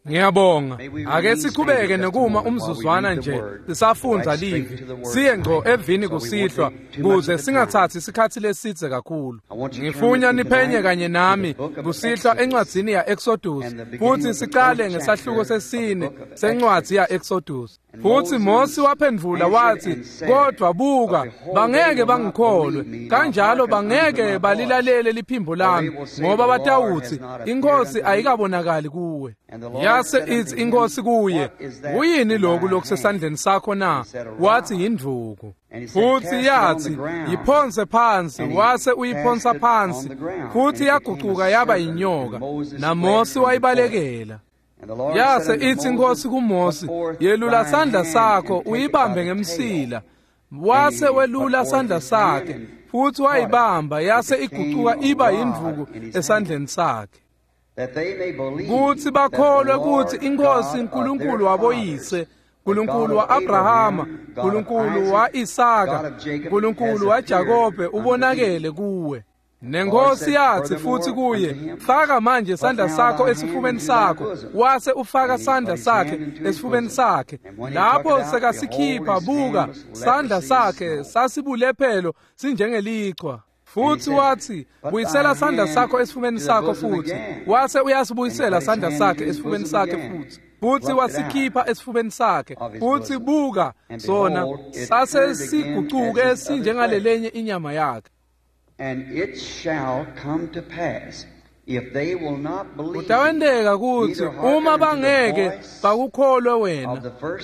Ngiyabonga. Ake siqhubeke nekuma umzuzwana nje sisafundza livi. Siye ngco evini kusihlwa kuze singathathi isikhathi lesidze kakhulu. Ngifunya niphenye kanye nami kusihlwa encwadzini ya Exodus futhi siqale ngesahluko sesine sencwadzi ya Exodus. Futhi Mose waphendvula wathi, kodwa buka, bangeke bangikholwe, kanjalo bangeke balilalele liphimbo lami, ngoba batawuthi inkosi ayikabonakali kuwe. Yase ithi inkosi kuye, kuyini lokhu lokusesandleni sakho na? Wathi yindvuku. Futhi yathi, yiphonse phansi. Wase uyiphonsa phansi, futhi yagucuka yaba yinyoka, naMose wayibalekela. Yase ithi inkosi kuMose, yelula sandla sakho uyibambe ngemsila. Wase welula sandla sakhe futhi wayibamba, yase igucuka iba yindvuku esandleni sakhe. Kuthi bakholwe ukuthi inkosi uNkulunkulu waboyise, uNkulunkulu wa-Abrahama, uNkulunkulu wa-Isaka, uNkulunkulu waJakobe ubonakele kuwe. Nenkosi yathi futhi kuye, faka manje sandla sakho esifubeni sakho. Wase ufaka sandla sakhe esifubeni sakhe. Lapho sekasikhipha, buka, sandla sakhe sasibulephelo sinjengelichwa. Futhi wathi, buyisela sandla sakho esifubeni sakho futhi. Wase uyasibuyisela sandla sakhe esifubeni sakhe futhi. Futhi wasikhipha esifubeni sakhe. Futhi buka, sona sase sigucuke sinjengalelenye inyama yakhe. And it shall come to pass, if they will not believe, Kutawenteka kutsi uma bangeke bakukholwe wena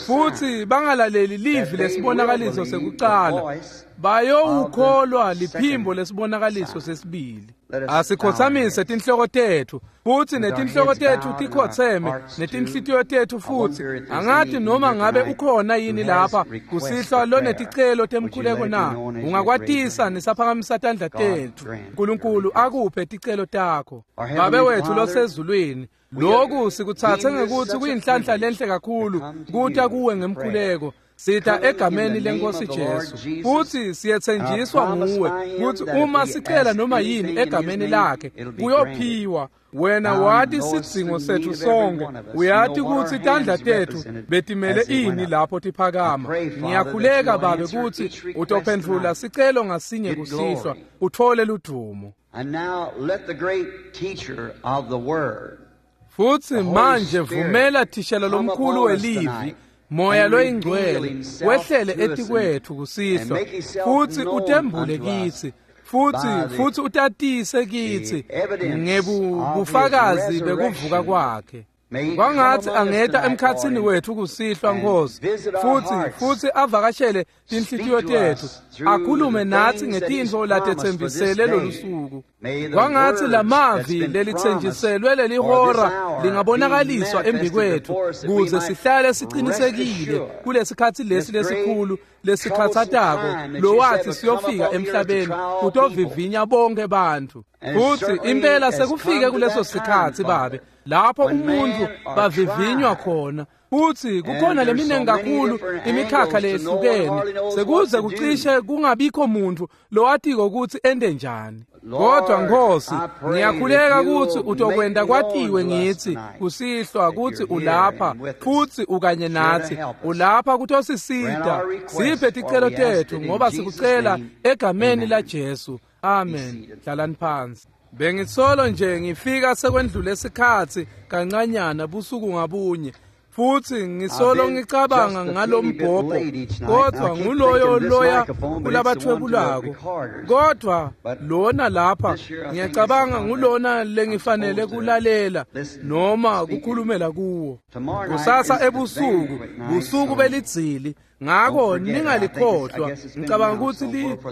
futhi bangalaleli livi lesibonakaliso sekucala, bayowukholwa liphimbo lesibonakaliso sesibili. Asikhothamise tinhloko tethu futhi netinhloko tethu tikhotheme netinhlitiyo tethu futhi. Angathi noma ngabe ukhona yini lapha kusihlwa loneticelo temkhuleko na? Ungakwatisa nisaphakamisa tandla tethu. uNkulunkulu akuphe ticelo takho. Babe wethu losezulwini, lokhu sikuthathe ngekuthi kuyinhlanhla lenhle kakhulu kuta kuwe ngemkhuleko. Sita egameni lenkosi Jesu, futhi siyethenjiswa nguwe ukuthi uma sicela noma yini egameni lakhe kuyophiwa. Wena wathi sidzingo sethu sonke, uyati ukuthi tandla tethu betimele ini lapho tiphakama. Ngiyakhuleka Babe ukuthi utophendvula sicelo ngasinye kusihlwa, uthole ludumo. And now let the great teacher of the word, Futhi manje vumela thishela lomkhulu welivi, Moya loyingcwele, wehlele etikwethu kusihlwa, futhi utembule kithi, futhi utatise kithi ngebufakazi bekuvuka kwakhe. Kwangathi angeta emkhatsini wethu kusihlwa Nkosi, futhi avakashele tinhlitiyo tethu, akhulume nathi ngetintfo latetsembisele lolusuku. Kwangathi lamavi lelitsenjiselwe lelihora lingabonakaliswa embikwethu kuze sihlale siqinisekile kulesikhathi lesi lesikhulu lesikhathatako lowathi siyofika emhlabeni kutovivinya bonke bantfu. Futhi impela sekufike kuleso sikhathi Babe, lapho umuntu bavivinywa khona. Futhi kukhona leminingi kakhulu imikhakha leyehlukene, sekuze kucishe kungabikho muntu lowatiko ukuthi ende njani. Kodwa Nkosi, ngiyakhuleka ukuthi utokwenta kwatiwe ngithi kusihlwa ukuthi ulapha futhi ukanye nathi, ulapha kutosisita. Siphe ticelo tethu ngoba sikucela egameni laJesu. Amen. Hlalani phansi. Bengisolo nje ngifika sekwendlule isikhathi kancanyana busuku ngabunye, futhi ngisolo ngicabanga ngalombhobho, kodwa nguloyo loya kulabathwebulako. Kodwa lona lapha ngiyacabanga ngulona lengifanele kulalela noma kukhulumela kuwo. Kusasa ebusuku, busuku belidzili, ngakho ningalikhohlwa.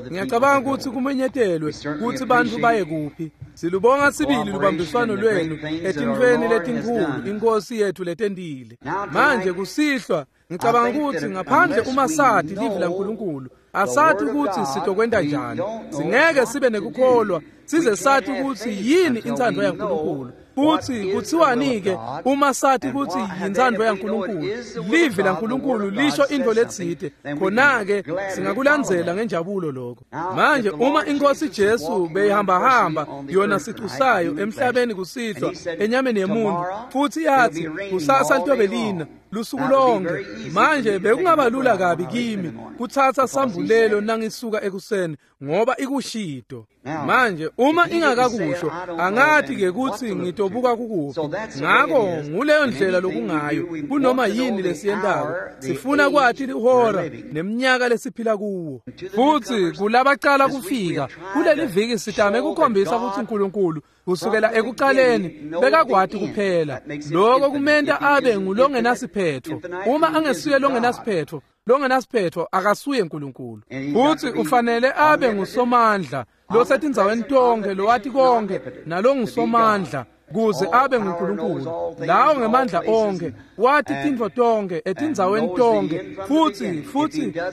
Ngiyacabanga ukuthi kumenyetelwe ukuthi bantu baye kuphi. Silubonga sibili lubambiswano lwenu etintfweni letinkhulu inkosi yethu letentile. Manje kusihlwa ngicabanga ukuthi ngaphandle uma sathi livi laNkulunkulu, asathi ukuthi sitokwenta njani. Singeke sibe nekukholwa size sathi ukuthi yini intsandvo yaNkulunkulu. Futsi kuthiwani-ke uma sathi kutsi yintsandvo yaNkulunkulu, livi laNkulunkulu lisho intfo letsite, khona-ke singakulandzela ngenjabulo lokho. Manje uma iNkosi Jesu beyihambahamba yona sicu sayo emhlabeni kusihlwa enyameni yemuntu, futsi yathi kusasa litobe lina lusuku lonke, manje bekungaba lula kabi kimi kutsatsa sambulelo nangisuka ekuseni ngoba ikushito. Manje uma ingakakusho angathi-ke kutsi ngitobuka kukuphi. Ngako nguleyo ndlela lokungayo kunoma yini lesiyentako, sifuna kwati lihora neminyaka lesiphila kuwo. Futsi kulabacala kufika kuleli viki sitame kukhombisa kutsi uNkulunkulu kusukela ekuqaleni bekakwati kuphela. Lokho kumenta abe ngulongenasiphetho. Uma angesuye longenasiphetho, longenasiphetho akasuye uNkulunkulu. Futsi ufanele abe ngusomandla losetindzaweni tonke, lowati konke nalongusomandla kuze abe nguNkulunkulu. Lawo ngemandla onke, wati tintfo tonke etindzaweni tonke,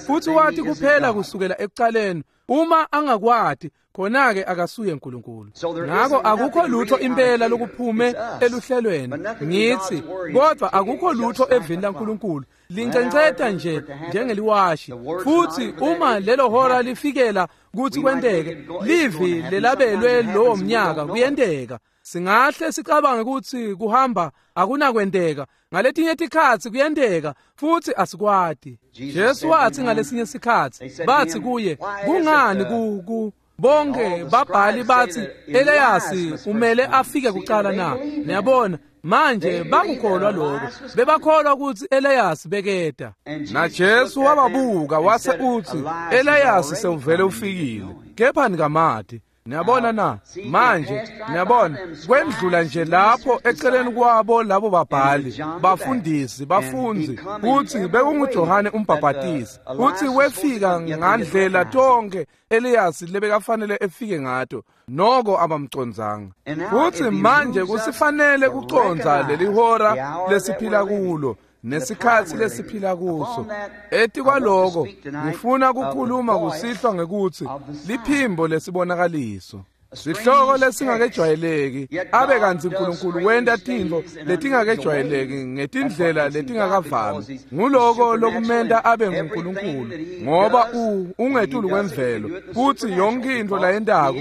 futsi wati kuphela kusukela ekuqaleni. Uma angakwati, khona-ke akasuye uNkulunkulu. Ngako akukho lutho impela lokuphume eluhlelweni ngitsi, kodwa akukho lutho evini laNkulunkulu lincenceta nje njengeliwashi. Futsi uma lelo hora lifikela kutsi kwenteke, livi lelabelwe lowo mnyaka kuyenteka. Singahle sicabange kutsi kuhamba akunakwenteka, ngaletinye tikhatsi kuyenteka futsi asikwati. Jesu wathi ngalesinye sikhatsi, bathi kuye, kungani ku bonke babhali bathi Eliyasi umele afike kuqala na? Niyabona, manje bakukholwa lokho, bebakholwa ukuthi Eliyasi beketa. Na Jesu wababuka wase uthi Eliyasi sewuvele ufikile, kepha nikamati. Niyabona na? Manje niyabona kwendlula nje lapho eceleni kwabo labo babhali, bafundisi, bafundzi, kutsi bekunguJohane umbhabhatisi, kutsi wefika ngandlela tonke Eliyasi lebekafanele efike ngato, noko abamcondzanga. Futsi manje kusifanele kucondza leli hora lesiphila kulo nesikhatsi lesiphila kuso. Etikwaloko ngifuna kukhuluma kusihlwa ngekutsi liphimbo lesibonakaliso. Sihloko lesingakejwayeleki, abe kantsi uNkulunkulu wenta tintfo letingakejwayeleki ngetindlela letingakavami. Nguloko lokumenta abe nguNkulunkulu, ngoba ungetulu kwemvelo, futsi yonke intfo layentako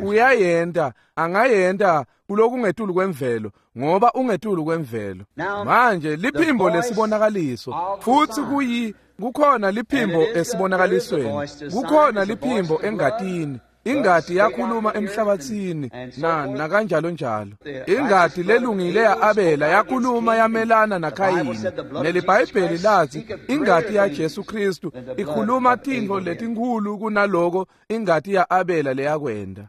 uyayenta, angayenta kulokungetulu kwemvelo, ngoba ungetulu kwemvelo. Manje liphimbo lesibonakaliso, futsi kukhona liphimbo esibonakalisweni, kukhona liphimbo engatini. Ingati yakhuluma emhlabathini na kanjalo njalo. Ingati lelungile ya-Abela yakhuluma yamelana naKhayini. NeliBhayibheli lathi ingati yaJesu Kristu ikhuluma tintfo letinkhulu kunaloko ingati ya-Abela leyakwenda.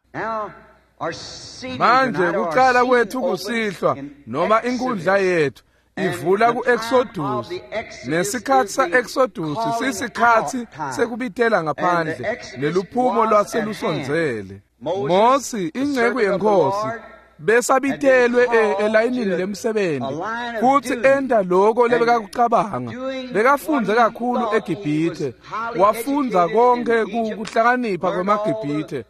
Manje kuqala kwethu kusihlwa noma inkundla yethu ivula ku-Exodus. Nesikhatsi sa-Exodus sisikhatsi sekubitela ngaphandle neluphumo lwaselusondzele. Mosi inceku yeNkhosi besabitelwe elayinini lemsebenzi futsi enta lokho lebekakucabanga. Bekafundze kakhulu eGibhithe, wafundza konke kuhlakanipha kwemaGibhithe,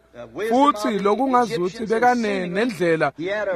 futsi lokungazuthi bekane nendlela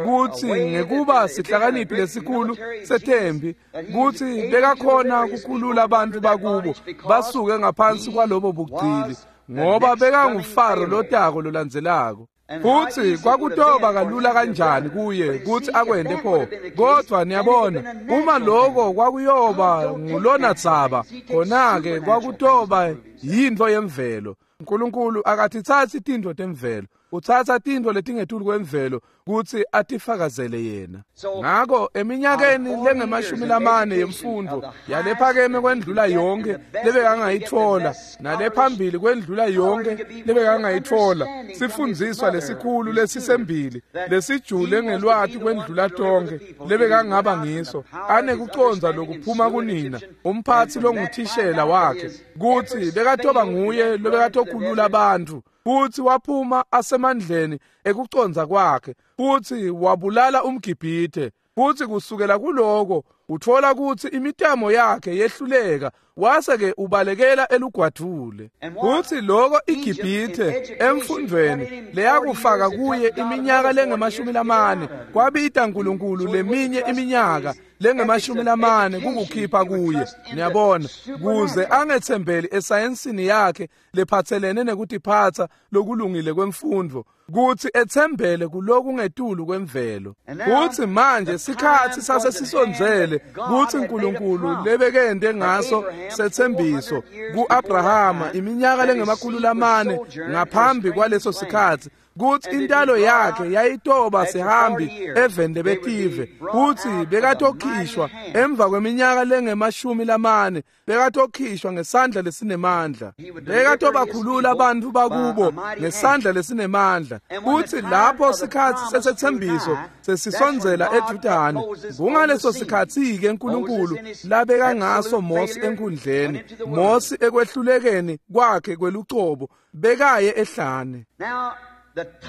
kutsi ngekuba sihlakaniphi lesikhulu sethembi kutsi bekakhona kukhulula abantu bakubo basuke ngaphansi kwalobo bugcili, ngoba bekanguFaro lotako lolandzelako. Futsi kwakutoba kalula kanjani kuye kutsi akwente pho. Kodwa niyabona, uma lokho kwakuyoba ngulona dzaba, khona-ke kwakutoba yintfo yemvelo. uNkulunkulu akatitsatsi tintfo temvelo, utsatsa tintfo letingetulu kwemvelo kutsi atifakazele yena. Ngako eminyakeni lengemashumi lamane yemfundvo yalephakeme kwendlula yonke lebekangayitfola, nalephambili kwendlula yonke lebekangayitfola, sifundziswa lesikhulu lesisembili lesijule ngelwati kwendlula tonke lebekangaba ngiso, anekucondza lokuphuma kunina, umphatsi longuthishela wakhe, kutsi bekatoba nguye lobekatokhulula abantu. Futsi waphuma asemandleni ekucondza kwakhe, futsi wabulala umGibhithe. Futsi kusukela kuloko utfola kutsi imitamo yakhe yehluleka, wase-ke ubalekela elugwadvule. Kutsi loko iGibhithe emfundvweni leyakufaka kuye iminyaka lengama-40 kwabita Nkulunkulu leminye iminyaka lengama-40 kukukhipha kuye. Niyabona, kuze angetsembeli esayensini yakhe lephatselene nekutiphatsa lokulungile kwemfundvo, kutsi etsembele kulokungetulu kwemvelo. Kutsi manje sikhatsi sasesisondzele kutsi Nkulunkulu lebekende ngaso setsembiso ku-Abrahama iminyaka lengama-400 ngaphambi kwaleso sikhatsi, kutsi intalo yakhe yayitoba sihambi eveni lebetive, kutsi bekatokhishwa emva kweminyaka lengama-40, bekatokhishwa ngesandla lesinemandla, bekatobakhulula bantfu bakubo ngesandla lesinemandla. Kutsi lapho sikhatsi sesetsembiso sesisondzela edvutane, kungaleso sikhatsi-ke Nkulunkulu labeka ngaso Mosi enkhundleni. Mosi ekwehlulekeni kwakhe kwelucobo bekaye ehlane.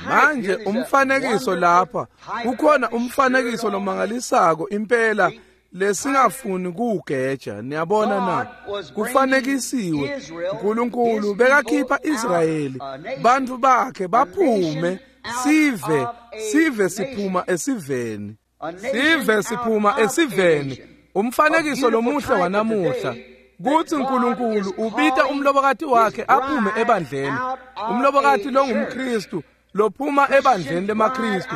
Manje umfanekiso lapha, kukhona umfanekiso lomangalisako impela lesingafuni kuwugeja. Niyabona na? Kufanekisiwe, Nkulunkulu bekakhipha Israyeli, bantfu bakhe baphume, sive siphuma esiveni, sive siphuma esiveni. Umfanekiso lomuhle wanamuhla kutsi Nkulunkulu ubita umlobokati wakhe aphume ebandleni, umlobokati longumKristu lophuma ebandleni lemaKristu.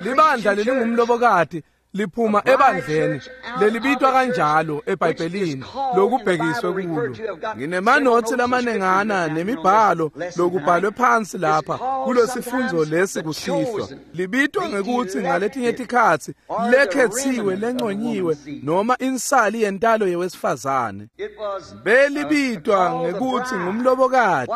Libandla lelingumlobokati liphuma ebandleni lelibitwa kanjalo eBhayibhelini lokubhekiswe kulo. Nginemanotsi lamanengana nemibhalo lokubhalwe phansi lapha kulesifundzo lesi kusihlwa. Libitwa ngekutsi ngaletinye tikhatsi lekhetsiwe, lenconyiwe, noma insali yentalo yewesifazane. Belibitwa ngekutsi ngumlobokati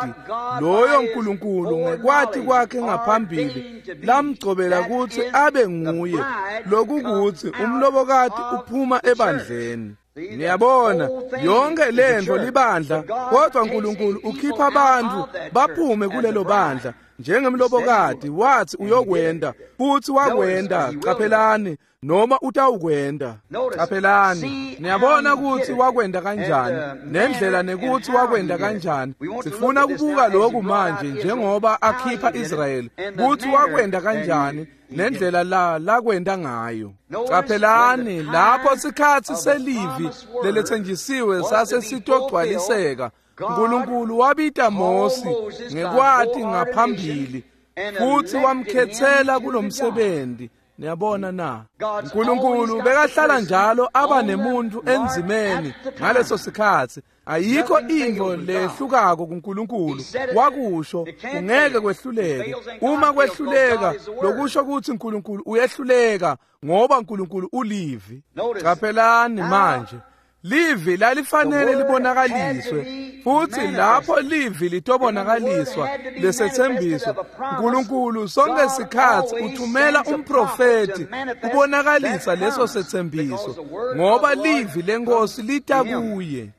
loyo Nkulunkulu ngekwati kwakhe ngaphambili lamgcobela kutsi abe nguye, lokukuthi umlobokati uphuma ebandleni. Niyabona, yonke lento libandla, kodwa Nkulunkulu ukhipha abantu baphume kulelo bandla njengemlobokati. Wathi uyokwenda, futhi wakwenda. Qaphelani, noma utawukwenda. Qaphelani, niyabona kutsi wakwenda kanjani, nendlela nekutsi wakwenda kanjani. Sifuna kubuka lokhu manje njengoba akhipha Israyeli, kutsi wakwenda kanjani nendlela lakwenda ngayo. Qaphelani, lapho sikhatsi selivi leletsenjisiwe sase sitogcwaliseka, Nkulunkulu wabita Mosi ngekwati ngaphambili futhi wamkhethela kulomsebenzi. Niyabona na? Nkulunkulu bekahlala njalo aba nemuntu enzimeni ngaleso sikhatsi. Ayikho intfo lehlukako kuNkulunkulu. Wakusho, kungeke kwehluleke. Uma kwehluleka, lokusho kutsi Nkulunkulu uyehluleka, ngoba Nkulunkulu ulivi. Qaphelani manje, livi lalifanele libonakaliswe, futhi lapho livi litobonakaliswa lesetsembiso, Nkulunkulu sonke sikhatsi uthumela umprofeti kubonakalisa leso setsembiso, ngoba livi lenkosi lita kuye.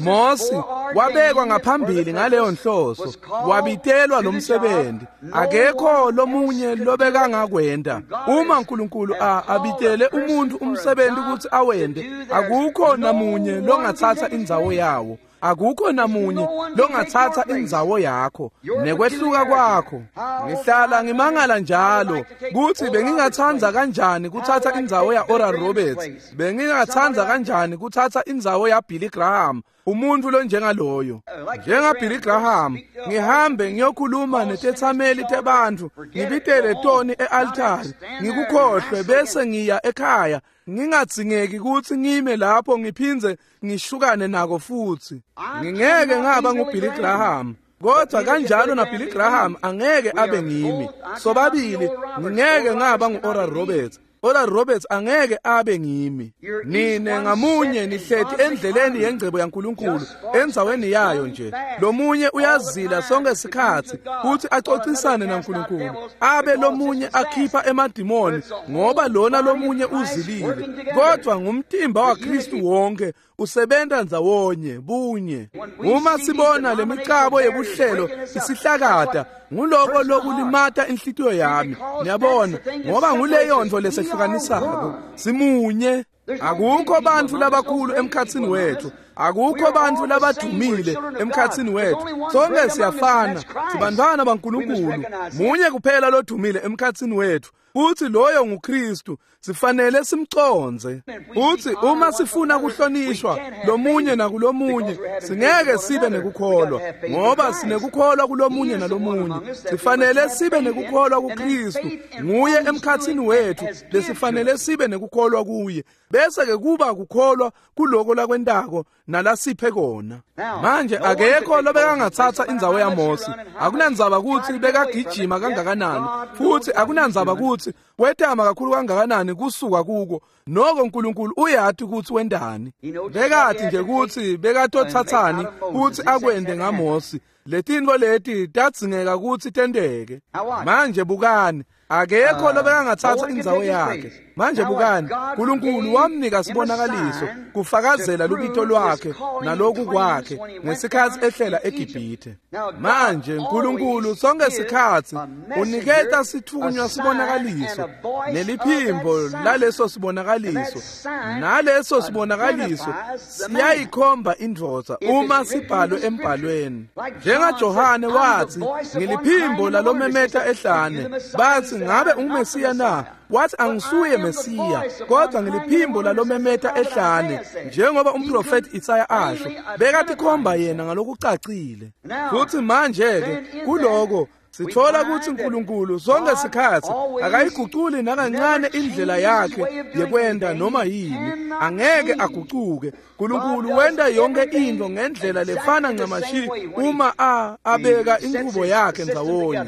Mosi wabekwa ngaphambili ngaleyo nhloso, wabitelwa lomsebenzi. Akekho lomunye lobekangakwenda. Uma Nkulunkulu abitele umuntu umsebenzi kutsi awende, akukho namunye longatsatsa indzawo yawo. Akukho namunye longatsatsa indzawo yakho nekwehluka kwakho. Ngihlala ngimangala njalo kutsi bengingatsandza kanjani kutsatsa indzawo ya Oral Roberts, bengingatsandza kanjani kutsatsa indzawo ya Billy Graham, umuntu lonjengaloyo. Njenga Billy Graham, ngihambe ngiyokhuluma netetsameli tebantfu, ngibitele toni e-altari, ngikukhohlwe bese ngiya ekhaya. Ngingadzingeki kutsi ngime lapho ngiphindze ngishukane nako futsi. Ngingeke ngaba nguBilly Graham, kodwa kanjalo naBilly Graham angeke abe ngimi. Sobabili ngingeke ngaba ngu-Oral Roberts. Oral Roberts angeke abe ngimi. Nine ngamunye nihleti endleleni yengcebo yaNkulunkulu, endzaweni yayo nje. Lomunye uyazila sonke sikhatsi kutsi acocisane naNkulunkulu, abe lomunye akhipha emadimoni ngoba lona lomunye uzilile. Kodwa ngumtimba waKristu wonke usebenta ndzawonye bunye. Uma sibona lemicabo yebuhlelo isihlakata, Nguloko lokulimata inhlitiyo yami, niyabona, ngoba nguleyo nto lesehlukanisako. Simunye. Akukho bantfu labakhulu emkhatsini wethu, akukho bantfu labadumile emkhatsini wethu. Sonke siyafana, sibantfwana baNkulunkulu. Munye kuphela lodumile emkhatsini wethu, futhi loyo nguKristu. Sifanele simcondze. Futhi uma sifuna kuhlonishwa lomunye nakulomunye, singeke sibe nekukholwa, ngoba sinekukholwa kulomunye nalomunye. Sifanele sibe nekukholwa kuKristu, nguye emkhatsini wethu lesifanele sibe nekukholwa kuye, bese ke kuba kukholwa kuloko lakwentako nalasiphe kona. Manje akekho lobekangatsatsa indzawo yaMosi. Akunandzaba kutsi bekagijima kangakanani, futhi akunandzaba kutsi wetama kakhulu kangakanani kusuka kuko, noko uNkulunkulu uyati kutsi wendani. Bekati nje kutsi bekatotsatsani kutsi akwende ngaMosi. Letintfo leti tadzingeka kutsi tenteke. Manje bukani, akekho lobekangatsatsa indzawo yakhe. Manje bukani, uNkulunkulu wamnika sibonakaliso kufakazela lubito lwakhe naloku kwakhe ngesikhatsi ehlela eGibhithe. Manje uNkulunkulu sonke sikhatsi uniketa sitfunywa sibonakaliso neliphimbo laleso sibonakaliso, naleso sibonakaliso siyayikhomba indvodza uma sibhalwe embhalweni. NjengaJohane wathi, ngiliphimbo lalomemeta ehlane. Bathi, ngabe unguMesiya na? Wathi, angisuye Mesiya, kodwa ngiliphimbo lalomemeta ehlane, njengoba umprofeti Isaya asho. Bekatikhomba yena ngalokucacile. Futhi manje-ke kuloko sithola ukuthi uNkulunkulu sonke sikhatsi akayiguculi nakancane indlela yakhe yekwenda noma yini. Angeke agucuke. uNkulunkulu wenta yonke into ngendlela lefana ncamashi uma abeka inqubo yakhe ndzawonye.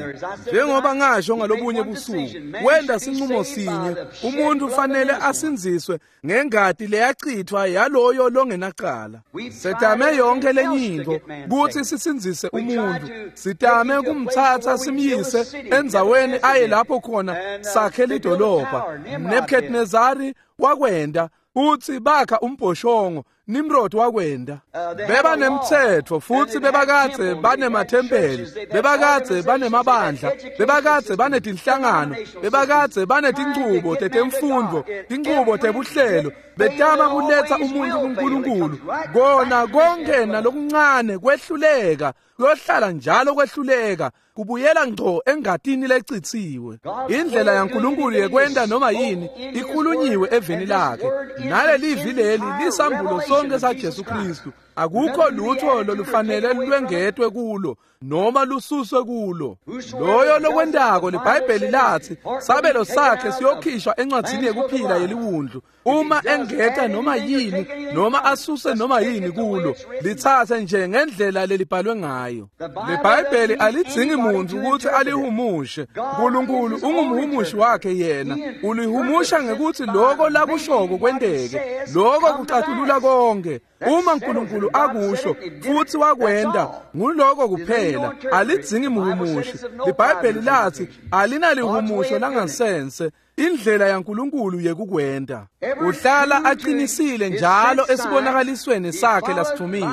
Njengoba ngasho ngalobunye busuku, wenta sinqumo sinye, umuntu ufanele asindziswe ngengati leyachithwa yaloyo longenacala. Setame yonke lenyinto kutsi sisindzise umuntu, sitame kumtsatsa simyise endzaweni aye lapho khona sakhe lidolobha. Nebuchadnezzari wakwenda, uthi bakha umbhoshongo. Nimrod wakwenda. Beba nemtsetfo futhi bebakadze banemathempeli, bebakadze banemabandla, bebakadze banetinhlangano, bebakadze banetinchubo tetemfundvo, tinchubo tebuhlelo, betama kuletsa umuntu kuNkulunkulu. Kona konke nalokuncane kwehluleka, kuyohlala njalo kwehluleka, kubuyela ngco engatini lecitsiwe. Indlela yaNkulunkulu yekwenta noma yini ikhulunyiwe eveni lakhe, nalelivi leli lisambulo sonke saJesu Kristu. Akukho lutho lolufanele lwengetwe kulo noma lususwe kulo. Loyo lokwentako, liBhayibheli lathi sabelo sakhe siyokhishwa encwadzini yekuphila yeliwundlu. Uma engeta noma yini noma asuse noma yini kulo, litsatse nje ngendlela lelibhalwe ngayo. LiBhayibheli alidzingi muntu ukuthi alihumushe. uNkulunkulu ungumhumushi wakhe yena, ulihumusha ngekuthi loko lakushoko kwenteke. Loko kucatulula konke. Uma uNkulunkulu akusho futhi wakwenda, nguloko kuphela. Alidzingi mhumushi. LiBhayibheli lathi alinalihumusho langasense. Indlela yaNkulunkulu yekukwenda. Uhlala aqinisile njalo esibonakalisweni sakhe lasithumile,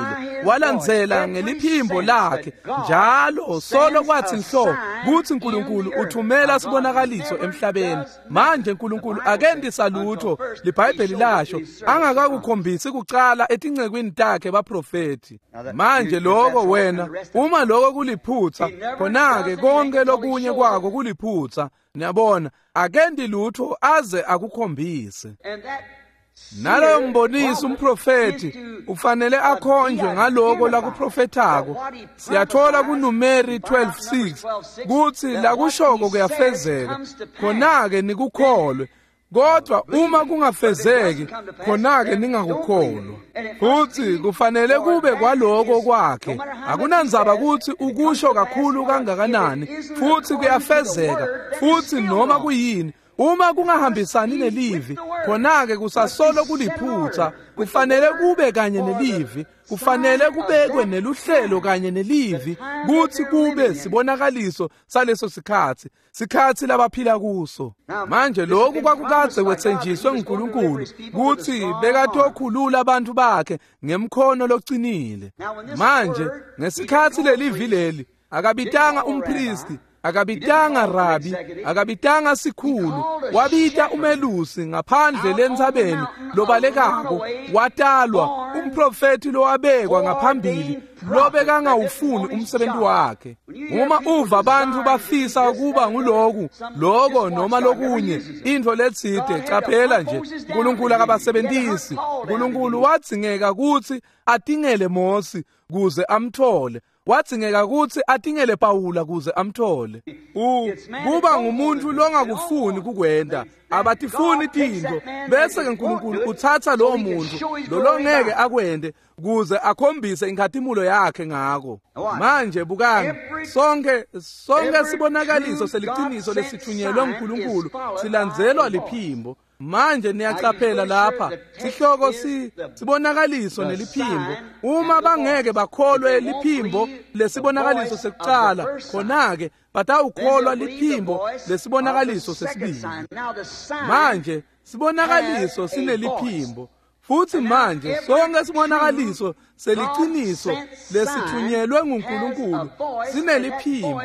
walandzela ngeliphimbo lakhe njalo solo kwathi nhlo kuthi uNkulunkulu uthumela sibonakaliso emhlabeni. Manje uNkulunkulu akendisa lutho, liBhayibheli lasho, angakakukhombisi kucala etincekwini takhe baprofeti. Manje lokho wena, uma lokho kuliphutha, khona-ke konke lokunye kwako kuliphutha. Niyabona, akendi lutho aze akukhombise. Naloyo mbonisi umprofeti ufanele akhonjwe ngaloko lakuprofethako. Siyathola kuNumeri 12:6 kutsi lakushoko kuyafezeka, khona-ke nikukholwe. Kodwa uma kungafezeki, khona-ke ningakukholwa. Futhi kufanele kube kwaloko kwakhe. Akunandzaba kutsi ukusho kakhulu kangakanani, futhi kuyafezeka, futhi noma kuyini. Uma kungahambisani nelivi, khona-ke kusasolo kuliphutha. Kufanele kube kanye nelivi, kufanele kubekwe neluhlelo kanye nelivi, kutsi kube sibonakaliso saleso sikhatsi, sikhatsi labaphila kuso. Manje lokhu kwakukadze kwetsenjiswe nguNkulunkulu kutsi bekatokhulula abantu bakhe ngemkhono locinile. Manje ngesikhatsi lelivi leli, akabitanga umpristi, Akabitanga rabi, akabitanga sikhulu, wabita umelusi ngaphandle lentsabeni lobalekako, watalwa umprofeti lowabekwa ngaphambili lobekangawufuni umsebenzi wakhe. Uma uva abantu bafisa ukuba nguloku, loko noma lokunye, intfo letsite, caphela nje, uNkulunkulu akabasebentisi. uNkulunkulu wadzingeka kutsi atingele Mosi kuze amthole. Wadzingeka kutsi atingele Pawula kuze amthole. Kuba ngumuntu longakufuni kukwenta, abatifuni tintfo, bese ke uNkulunkulu utsatsa lowo muntu lolongeke akwente kuze akhombise inkhatimulo yakhe ngako. Manje bukani, sonke sibonakaliso seliciniso lesithunyelwe nguNkulunkulu silandzelwa liphimbo. Manje niyacaphela lapha sihloko sibonakaliso neliphimbo. Uma bangeke bakholwe liphimbo lesibonakaliso sekucala, khona-ke batawukholwa liphimbo lesibonakaliso sesibili. Manje sibonakaliso sineliphimbo, futhi manje sonke sibonakaliso seliciniso lesithunyelwe nguNkulunkulu sineliphimbo,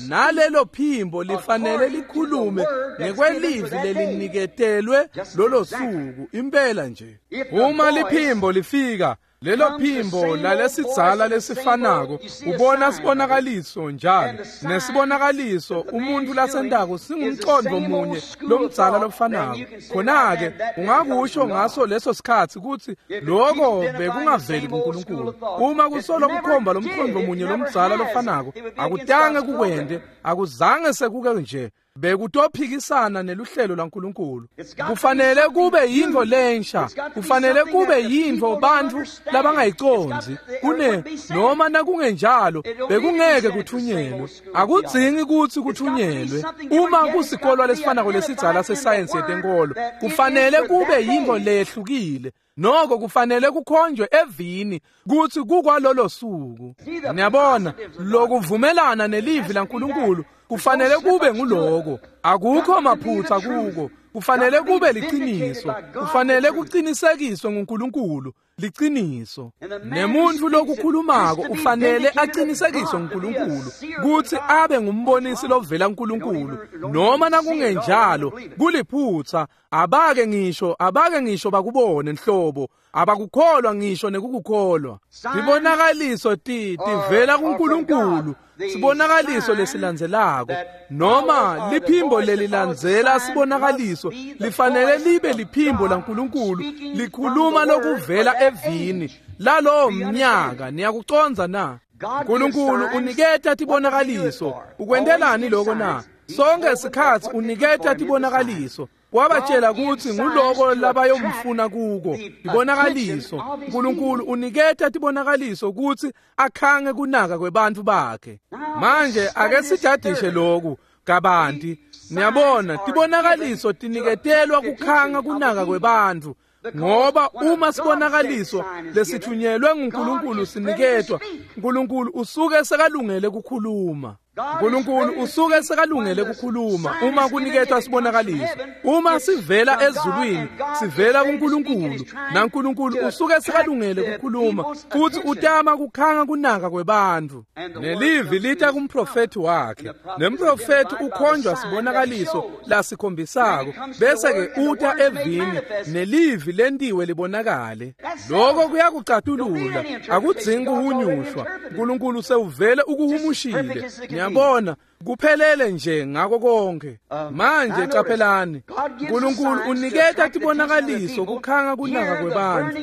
nalelo phimbo lifanele likhulume ngekwelivi leliniketelwe lolo suku impela nje. Uma liphimbo lifika, lelo phimbo lalesidzala lesifanako, ubona sibonakaliso njalo, nesibonakaliso umuntu lasentako singumcondvo munye lomdzala lofanako. Khona-ke ungakusho ngaso leso sikhatsi kutsi loko bekungaveli kuNkulunkulu. Uma kusolo kukhomba lomcondvo munye lomdzala lofanako, akutange kukwente, akuzange sekuke nje, bekutophikisana neluhlelo lwaNkulunkulu. Kufanele kube yintfo lensha, kufanele kube yintfo bantfu labangayicondzi. Kune noma nakungenjalo bekungeke kuthunyelwe. Akudzingi kutsi kuthunyelwe. Uma kusikolwa lesifanako lesidzala sesayensi yetenkolo, kufanele kube yintfo lehlukile. Noko kufanele kukhonjwe evini kutsi kukwalolo suku. Niyabona, lokuvumelana nelivi laNkulunkulu kufanele kube nguloko. Akukho maphutsa kuko. Kufanele kube liciniso. Kufanele kucinisekiswe nguNkulunkulu, liciniso. Nemuntu lokukhulumako ufanele acinisekiswe nguNkulunkulu kutsi abe ngumbonisi lovela kuNkulunkulu. Noma nakungenjalo kuliphutsa, abake ngisho bakubone nhlobo, abakukholwa ngisho nekukukholwa. Tibonakaliso tivela kuNkulunkulu, sibonakaliso lesilandzelako noma liphimbo lelilandzela sibonakaliso lifanele libe liphimbo laNkulunkulu likhuluma lokuvela evini lalowo mnyaka. Niyakucondza na? uNkulunkulu uniketa tibonakaliso. Ukwentelani lokho na? Sonke sikhatsi uniketa tibonakaliso. Wabatshela kutsi nguloko labayomfuna kuko, tibonakaliso. uNkulunkulu uniketa tibonakaliso kutsi akhange kunaka kwebantfu bakhe. Manje ake sijadishe loku kabanti. Niyabona, tibonakaliso tiniketelwa kukhanga kunaka kwebantfu, ngoba uma sibonakaliso lesithunyelwe nguNkulunkulu siniketwa, uNkulunkulu usuke sekalungele kukhuluma. uNkulunkulu usuke sekalungele kukhuluma uma kuniketwa sibonakaliso. Uma sivela ezulwini, sivela kuNkulunkulu, naNkulunkulu usuke sekalungele kukhuluma futhi utama kukhanga kunaka kwebantfu. Nelivi lita kumprofethi wakhe, nemprofethi ukhonjwa sibonakaliso lasikhombisako, bese-ke uta evini nelivi lentiwe libonakale. Lokho kuyakucatulula, akudzingi kuhunyushwa. uNkulunkulu sewuvele ukuhumushile. Niyabona, kuphelele nje ngako konke. Manje caphelani, uNkulunkulu uniketa tibonakaliso kukhanga kunaka kwebantfu.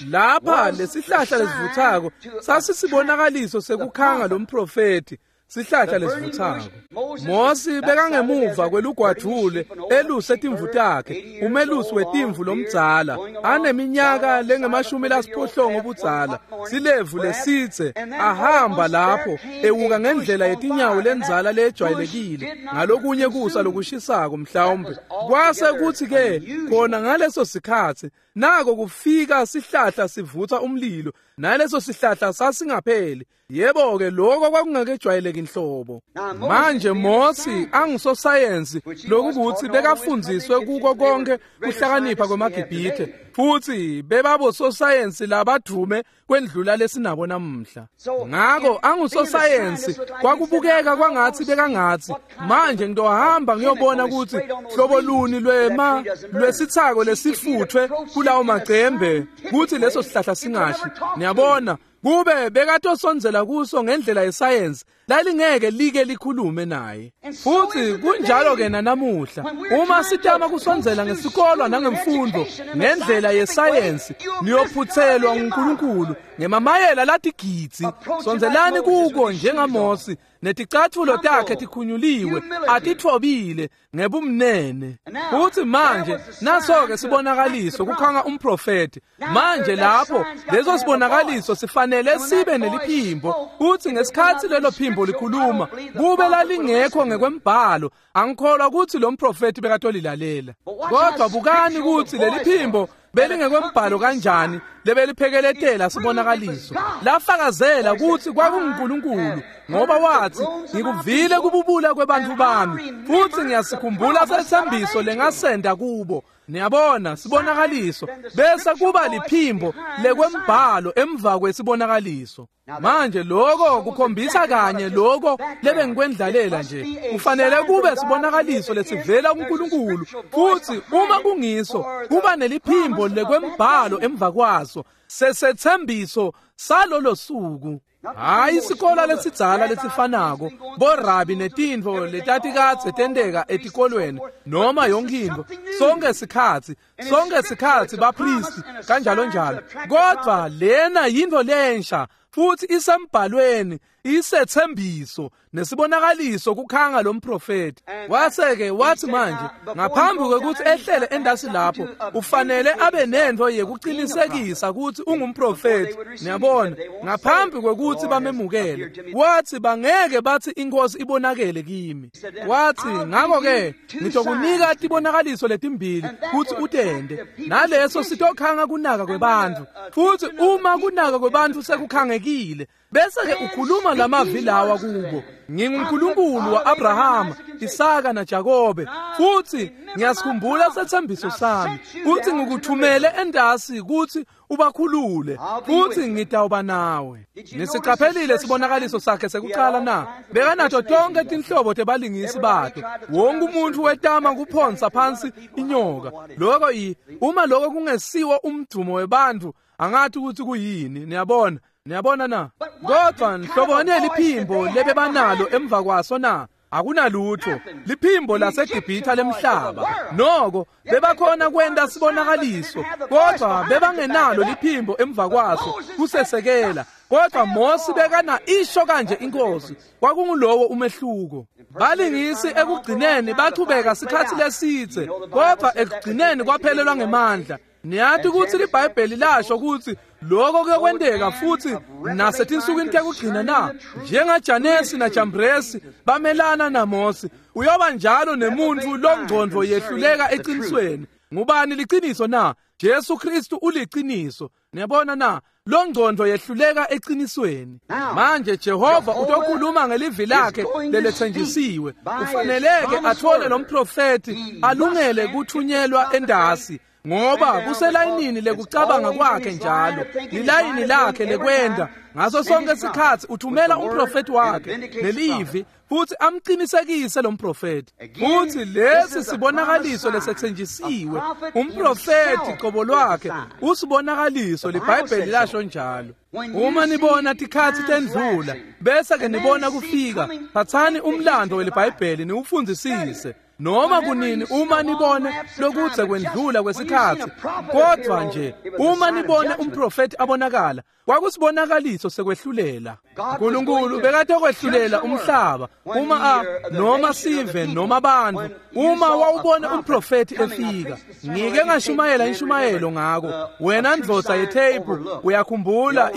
Lapha lesihlahla lesivuthako sasisibonakaliso sekukhanga lomprofethi, sihlahla lesivuthako. Mosi bekangemuva kwelugwadvule eluse timvu takhe, umelusi wetimvu lomdzala, aneminyaka lengama-80 budzala, silevu lesitse, ahamba lapho ewuka ngendlela yetinyawo lendzala lejwayelekile ngalokunye kusa lokushisako mhlawumbe. Kwase kuthi ke khona ngaleso sikhatsi nako kufika sihlahla sivutha umlilo, naleso sihlahla sasingapheli. Yebo ke, lokho kwakungakejwayeleki. Akwenteki nhlobo. Manje Mosi angusosayensi, lokukuthi bekafundziswe kuko konke kuhlakanipha kwemaGibhithe, futhi bebabososayensi labadvume kwendlula lesinabo namuhla. Ngako angusosayensi kwakubukeka kwangathi bekangathi, manje ngitohamba ngiyobona ukuthi hlobo luni lwema lwesithako lesifuthwe kulawo macembe kuthi leso sihlahla singashi. Niyabona, kube bekatosondzela kuso ngendlela yesayensi, lalingeke like likhulume naye. Futhi kunjalo ke nanamuhla, uma sitama kusondzela ngesikolwa nangemfundo ngendlela yesayensi, niyophuthelwa nguNkulunkulu ngemamayela latigidzi. Sondzelani kuko njengaMosi, neticathulo takhe tikhunyuliwe, atitfobile ngebumnene. Futhi manje naso-ke sibonakaliso kukhanga umprofeti. Manje lapho leso sibonakaliso sifanele sibe neliphimbo, futhi ngesikhathi lelo phimbo likhuluma kube lalingekho ngekwembhalo, angikholwa ukuthi lo mprofeti bekatolilalela. Kodwa bukani ukuthi leli phimbo belingekwembhalo kanjani lebeliphekeletela sibonakaliso. Lafakazela ukuthi kwakunguNkulunkulu, ngoba wathi, ngikuvile kububula kwebantu bami, futhi ngiyasikhumbula sethembiso lengasenda kubo. Niyabona, sibonakaliso bese kuba liphimbo lekwembhalo emva kwesibonakaliso. Manje lokho kukhombisa kanye lokho lebengikwendlalela nje. Kufanele kube sibonakaliso lesivela kuNkulunkulu, futhi uma kungiso kuba neliphimbo lekwembhalo emva kwaso, sesethembiso salolo suku. Hayi isikolo lesidzala lesifanako, borabi netintfo letatikadze tenteka etikolweni noma yonke intfo, sonke sikhatsi bapristi kanjalo njalo. Kodwa lena yintfo lensha, futhi isembhalweni, isethembiso nesibonakaliso kukhanga lo mprofeti. Wase-ke wathi manje ngaphambi kwekuthi ehlele endasi lapho, ufanele abe nento yekuqinisekisa ukuthi ungumprofeti. Niyabona, ngaphambi kwekuthi bamemukele, wathi bangeke bathi inkosi ibonakele kimi. Wathi ngakho-ke ngitokunika tibonakaliso letimbili kuthi utende, naleso sitokhanga kunaka kwebantfu. Futhi uma kunaka kwebantfu sekukhangekile, bese-ke ukhuluma lamavi lawa kubo, nginguNkulunkulu wa-Abrahama, Isaka naJakobe, futhi ngiyasikhumbula sethembiso sami, futhi ngikuthumele endasi kuthi ubakhulule, futhi ngitawuba nawe. Nisiqaphelile sibonakaliso sakhe sekuqala na? Bekanato tonke tinhlobo tebalingisi bato. Wonke umuntu wetama kuphonsa phansi inyoka. Lokho uma lokho kungesiwo umdumo webantfu, angathi ukuthi kuyini. Niyabona? Niyabona na? Kodwa nhlobone liphimbo lebebanalo emva kwaso na? Akunalutho, liphimbo laseGibhithe lemhlaba. Noko bebakhona kwenta sibonakaliso, kodwa bebangenalo liphimbo emva kwaso kusesekela. Kodwa Mosi bekana isho kanje inkosi, kwakungulowo umehluko. Balingisi ekugcineni bachubeka sikhathi lesidze, kodwa ekugcineni kwaphelelwa ngemandla. Niyathi ukuthi liBhayibheli lasho ukuthi lokho kuyokwenteka futhi nasetinsukwini tekugcina na? NjengaJanesi naJambresi bamelana naMosi, uyoba njalo nemuntu longcondvo yehluleka eqinisweni. Ngubani liciniso na? Jesu Kristu uliciniso. Niyabona na? Longcondvo yehluleka eqinisweni. Manje Jehova utokhuluma ngelivi lakhe lelethenjisiwe. Ufaneleke athole lo mprofeti alungele kuthunyelwa endasi, ngoba kuselayinini lekucabanga kwakhe njalo, lilayini lakhe lekwenda. Ngaso sonke isikhathi uthumela umprofeti wakhe nelivi futhi amqinisekise lo mprofeti. Futhi lesi sibonakaliso lesethenjisiwe, umprofeti qobo lwakhe usibonakaliso, liBhayibheli lasho njalo. Uma nibona tikhathi tendlula bese ke nibona kufika, phathani umlando weliBhayibheli niwufundisise. Noma kunini uma nibone lokudze kwendlula kwesikhathi, kodwa nje uma nibone umprofeti abonakala, kwakusibonakaliso sekwehlulela. uNkulunkulu bekatokwehlulela umhlaba uma noma sive noma abantu. Uma wawubone umprofeti efika, ngike ngashumayela inshumayelo ngako, wena ndvodza yetheyiphu uyakhumbula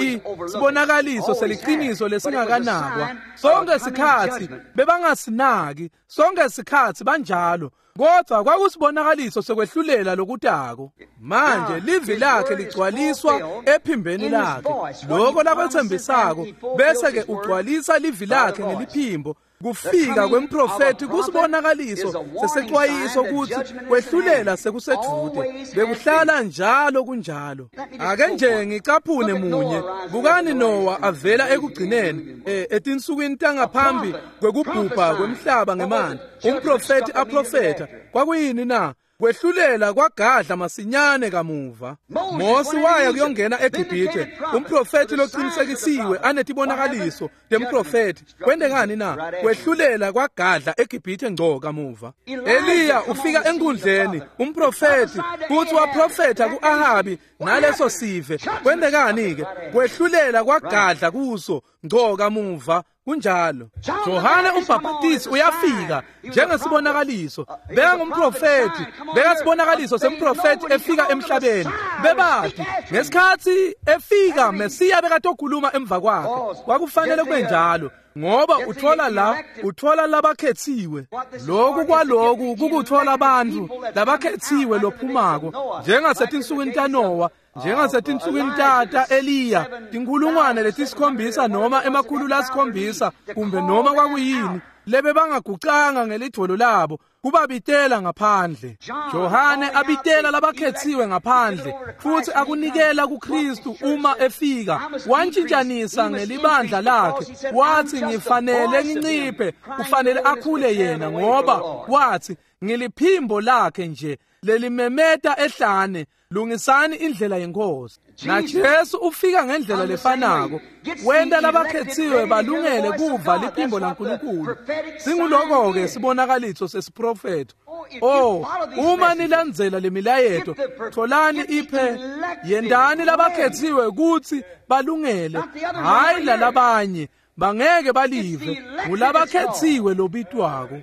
sibonakaliso seliqiniso lesingakanakwa. Sonke sikhathi bebangasinaki, sonke sikhathi banjalo. Kodwa kwakusibonakaliso sekwehlulela lokutako. Manje livi lakhe ligcwaliswa ephimbeni lakhe, lokho lakwethembisako, bese-ke ugcwalisa livi lakhe ngeliphimbo. Kufika kwemprofethi kusibonakaliso sesexwayiso kutsi kwehlulela sekusedude. Bekuhlala njalo kunjalo. Ake nje ngicaphune munye. Bukani Noah avela ekugcineni etinsukwini tangaphambi kwekubhubha kwemhlaba ngemanti. Umprofethi aprofetha. Kwakuyini na? Kwehlulela kwagadla masinyane kamuva. Mose waya kuyongena eGibhithe, umprofethi loqinisekisiwe anetibonakaliso temprofethi. Kwendekani na? Kwehlulela kwagadla eGibhithe ngco kamuva. Eliya ufika enkundleni, umprofethi, futhi waprofetha ku-Ahabi naleso sive. Kwendekani ke? Kwehlulela kwagadla kuso ngco kamuva. Kunjalo. Johane umbhaphatisi uyafika njengesibonakaliso. Bekangumprofethi, bekasibonakaliso semprofethi efika emhlabeni. Bebati ngesikhathi efika Mesiya bekatokhuluma emva kwakhe. Kwakufanele kube njalo, ngoba uthola la, uthola labakhethiwe. Lokhu kwaloku kukuthola abantu labakhethiwe lophumako, njengasetinsukwini taNowa, njengasetinsukwini tata Eliya, tinkhulungwane letisikhombisa noma 700 kumbe noma kwakuyini, lebe bangagucanga ngelidvolo labo kubabitela ngaphandle. Johane abitela labakhethiwe ngaphandle futhi akunikela kuKristu uma efika. Wantshintshanisa ngelibandla lakhe, wathi ngifanele nginciphe, kufanele akhule yena, ngoba wathi ngiliphimbo lakhe nje lelimemeta ehlane, lungisani indlela yenkosi. Na Jesu ufika ngendlela lefanako, wenta labakhethiwe balungele kuva liphimbo laNkulunkulu. Singuloko-ke sibonakaliso sesiprofetho. Oh, uma nilandzela lemilayeto, tholani iphe, yendani labakhethiwe kutsi balungele, hhayi lalabanye. Bangeke balive, ngulabakhethiwe lobitwako.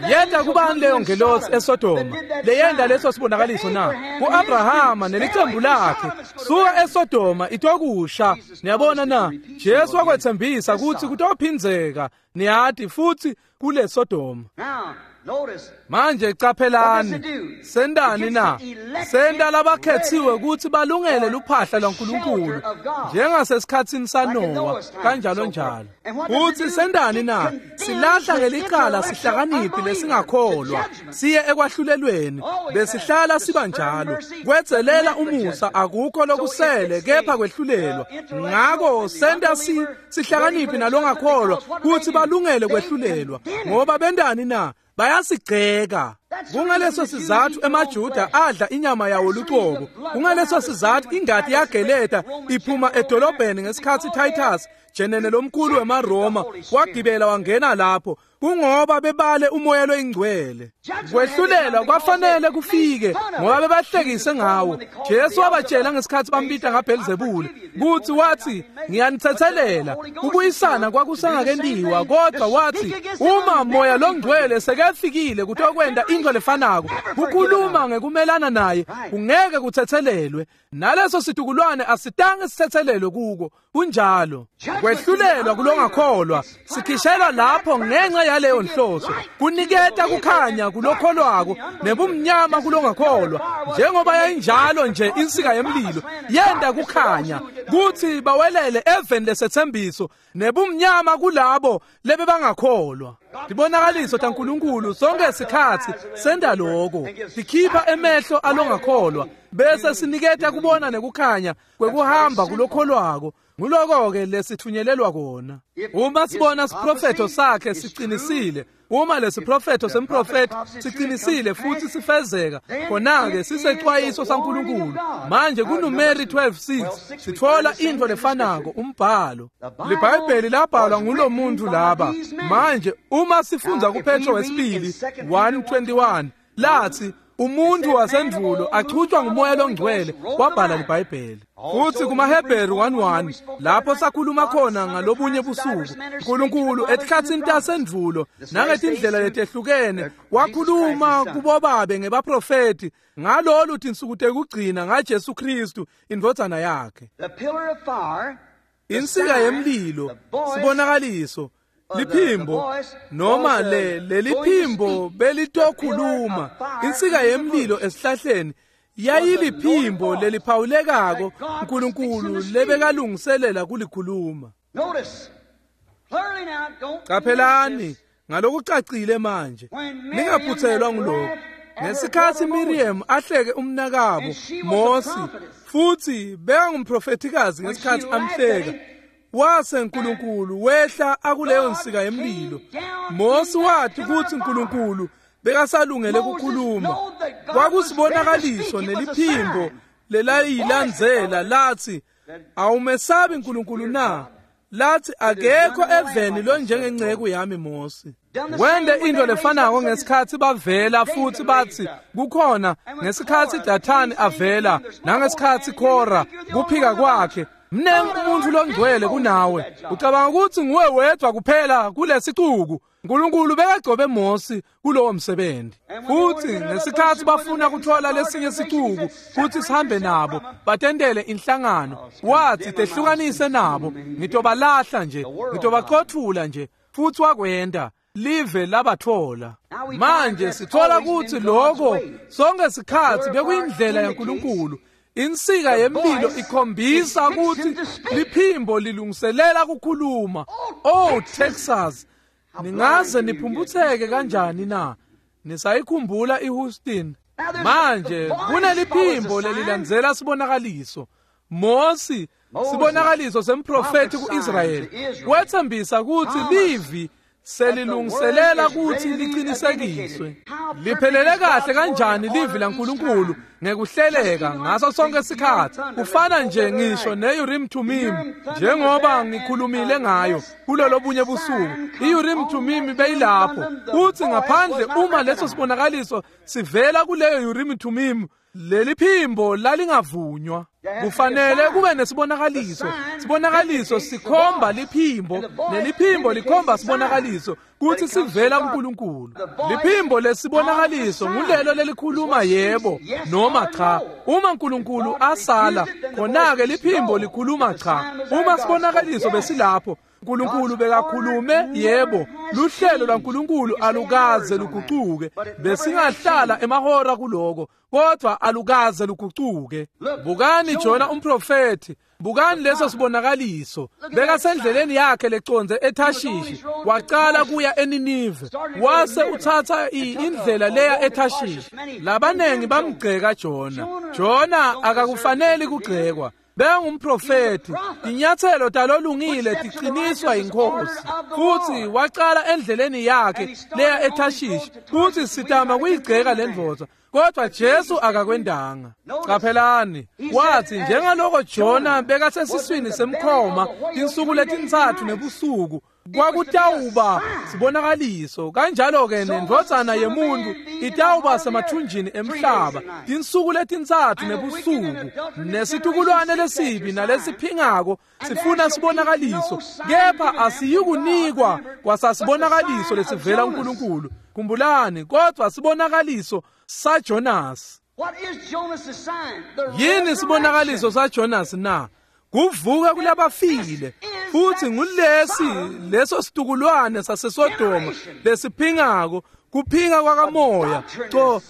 Yenta kubani leyo ngelosi eSodoma leyenda leso sibonakaliso na? Ku-Abrahama nelicembu lakhe. Suka eSodoma itokusha. Niyabona na? Jesu wakwethembisa kutsi kutophindzeka, niyati, futhi kule Sodoma. Manje caphelani, sendani na? Senta labakhethiwe kutsi balungele luphahla lwaNkulunkulu, njengasesikhatsini saNowa, kanjalo njalo. Futsi sendani na? Silahla ngelicala sihlakaniphi lesingakholwa, siye ekwahlulelweni. Besihlala siba njalo. Kwedzelela umusa akukho lokusele kepha kwehlulelwa. Ngako senta sihlakaniphi nalongakholwa kutsi balungele kwehlulelwa. Ngoba bendani na? Bayasigceka. Kungaleso sizathu emaJuda adla inyama yawo lucobo. Kungaleso sizathu ingati yageleta iphuma edolobheni ngesikhatsi Titus, jenene lomkhulu wemaRoma, wagibela wangena lapho. Kungoba bebale umoya loyingcwele. Kwehlulelwa kwafanele kufike ngoba bebahlekise ngawo. Jesu wabatshela ngesikhatsi bambita ngaBhelzebule kutsi wathi ngiyanithethelela. Kubuyisana kwakusengakentiwa, kodwa wathi uma moya longcwele sekafikile kutokwenta into lefanako, kukhuluma ngekumelana naye kungeke kuthethelelwe. Naleso situkulwane asitange sithethelelwe kuko. Kunjalo. Kwehlulelwa kulongakholwa sikhishelwa lapho ngenxa yaleyo nhloso, kuniketa kukhanya kulokholwako nebumnyama kulongakholwa. Njengoba yayinjalo nje insika yemlilo yenta kukhanya kutsi bawelele eveni lesethembiso, nebumnyama kulabo lebebangakholwa. Tibonakaliso taNkulunkulu sonke sikhatsi senta loko, tikhipha emehlo alongakholwa bese siniketa kubona nekukhanya kwekuhamba kulokholwako. Nguloko-ke lesithunyelelwa kona. Uma sibona siprofetho sakhe siqinisile, uma lesiprofetho semprofethi siqinisile futhi sifezeka, khona-ke sisexwayiso saNkulunkulu. Manje kuNumeri 12:6 sitfola intfo lefanako, umbhalo. LiBhayibheli labhalwa ngulomuntu laba. Manje uma sifundza kuPetro wesibili 1:21 lathi umuntu wasendvulo achutshwa ngumoya longcwele wabhala liBhayibheli. Futhi kumaHebheru 1:1 lapho sakhuluma khona ngalobunye busuku, uNkulunkulu etikhatsini tasendvulo nangetindlela letehlukene wakhuluma kubobabe ngebaprofethi ngalolu tinsuku tekugcina ngaJesu Kristu indvodzana yakhe. Insika yemlilo, sibonakaliso, Liphimbo noma leliphimbo belitokhuluma. Insika yemlilo esihlahleni yayiliphimbo leliphawulekako uNkulunkulu lebekalungiselela kulikhuluma. Qaphelani ngalokucacile manje, ningaphuthelwa ngulokho. Ngesikhathi Miriam ahleke umnakabo Mose, futhi bekangumprofethikazi ngesikhathi amhleka, wase uNkulunkulu wehla akuleyo nsika yemlilo. Mose wathi ukuthi uNkulunkulu bekasalungele ukukhuluma. Kwakusibonakaliso neliphimbo lelayilandzela lathi, awumesabi uNkulunkulu na? Lathi akekho eveni lonjengenceku yami Mose. Wende into lefanako ngesikhathi bavela futhi bathi kukhona ngesikhathi Dathani avela nangesikhathi Khora kuphika kwakhe. Mnengi umuntu longcwele kunawe, ucabanga ukuthi nguwe wedwa kuphela kulesicuku. uNkulunkulu bekagcobe Mose kulowo msebenzi. Futhi ngesikhathi bafuna kuthola lesinye sicuku futhi sihambe nabo batendele inhlangano, wathi tehlukanise nabo, ngitobalahla nje, ngitobaqothula nje. Futhi wakwenda, live labathola. Manje sithola ukuthi lokho sonke sikhathi bekuyindlela yaNkulunkulu. Insika yemlilo ikhombisa ukuthi liphimbo lilungiselela ukukhuluma. Oh Texas, ningaze niphumputheke kanjani na? Nisayikhumbula iHouston? Manje kuneliphimbo lelilandzela sibonakaliso. Mose, sibonakaliso semprofeti kuIsrayeli, wethembisa ukuthi livi selilungiselela ukuthi liqinisekiswe. Liphelele kahle kanjani livi laNkulunkulu ngekuhleleka ngaso sonke isikhathi. Kufana nje ngisho neUrim Thummim, njengoba ngikhulumile ngayo kulolobunye busuku. IUrim Thummim beyilapho uthi ngaphandle uma leso sibonakaliso sivela kuleyo Urim Thummim, leli phimbo lalingavunywa. Kufanele kube nesibonakaliso. Sibonakaliso sikhomba liphimbo, neliphimbo likhomba sibonakaliso kuthi sivela kuNkulunkulu. Liphimbo lesibonakaliso ngulelo lelikhuluma yebo noma cha. Uma uNkulunkulu asala, khona-ke liphimbo likhuluma cha. Uma sibonakaliso besilapho, uNkulunkulu bekakhulume yebo. Luhlelo lwaNkulunkulu alukaze luguquke. Besingahlala emahora kuloko, kodwa alukaze luguquke. Bukani Jona umprofethi, bukani leso sibonakaliso. Bekasendleleni yakhe leconze eThashishi, waqala kuya eNinive, wase uthatha indlela leya eThashishi. Labanengi bamgceka Jona. Jona akakufaneli kugcekwa. Bengumprofethi, inyathelo talolungile tiqiniswa inkosi. Futhi waqala endleleni yakhe leya eThashishi, futhi sitama kuyigceka lendvodza, kodwa Jesu akakwendanga. Qaphelani, wathi njengaloko Jona bekasesiswini semkhoma tinsuku letintsatfu nebusuku, kwakutawuba sibonakaliso. Kanjalo-ke nendvodzana yemuntu itawuba semathunjini emhlaba tinsuku letintsatfu nebusuku. Nesitukulwane lesibi nalesiphingako sifuna sibonakaliso, kepha asiyikunikwa kwasasibonakaliso lesivela kuNkulunkulu. Khumbulani, kodwa sibonakaliso saJonas. Yini sibonakaliso saJonas na? Kuvuka kulabafile. Futhi ngulesi leso situkulwane saseSodoma lesiphingako, kuphinga kwakamoya. Co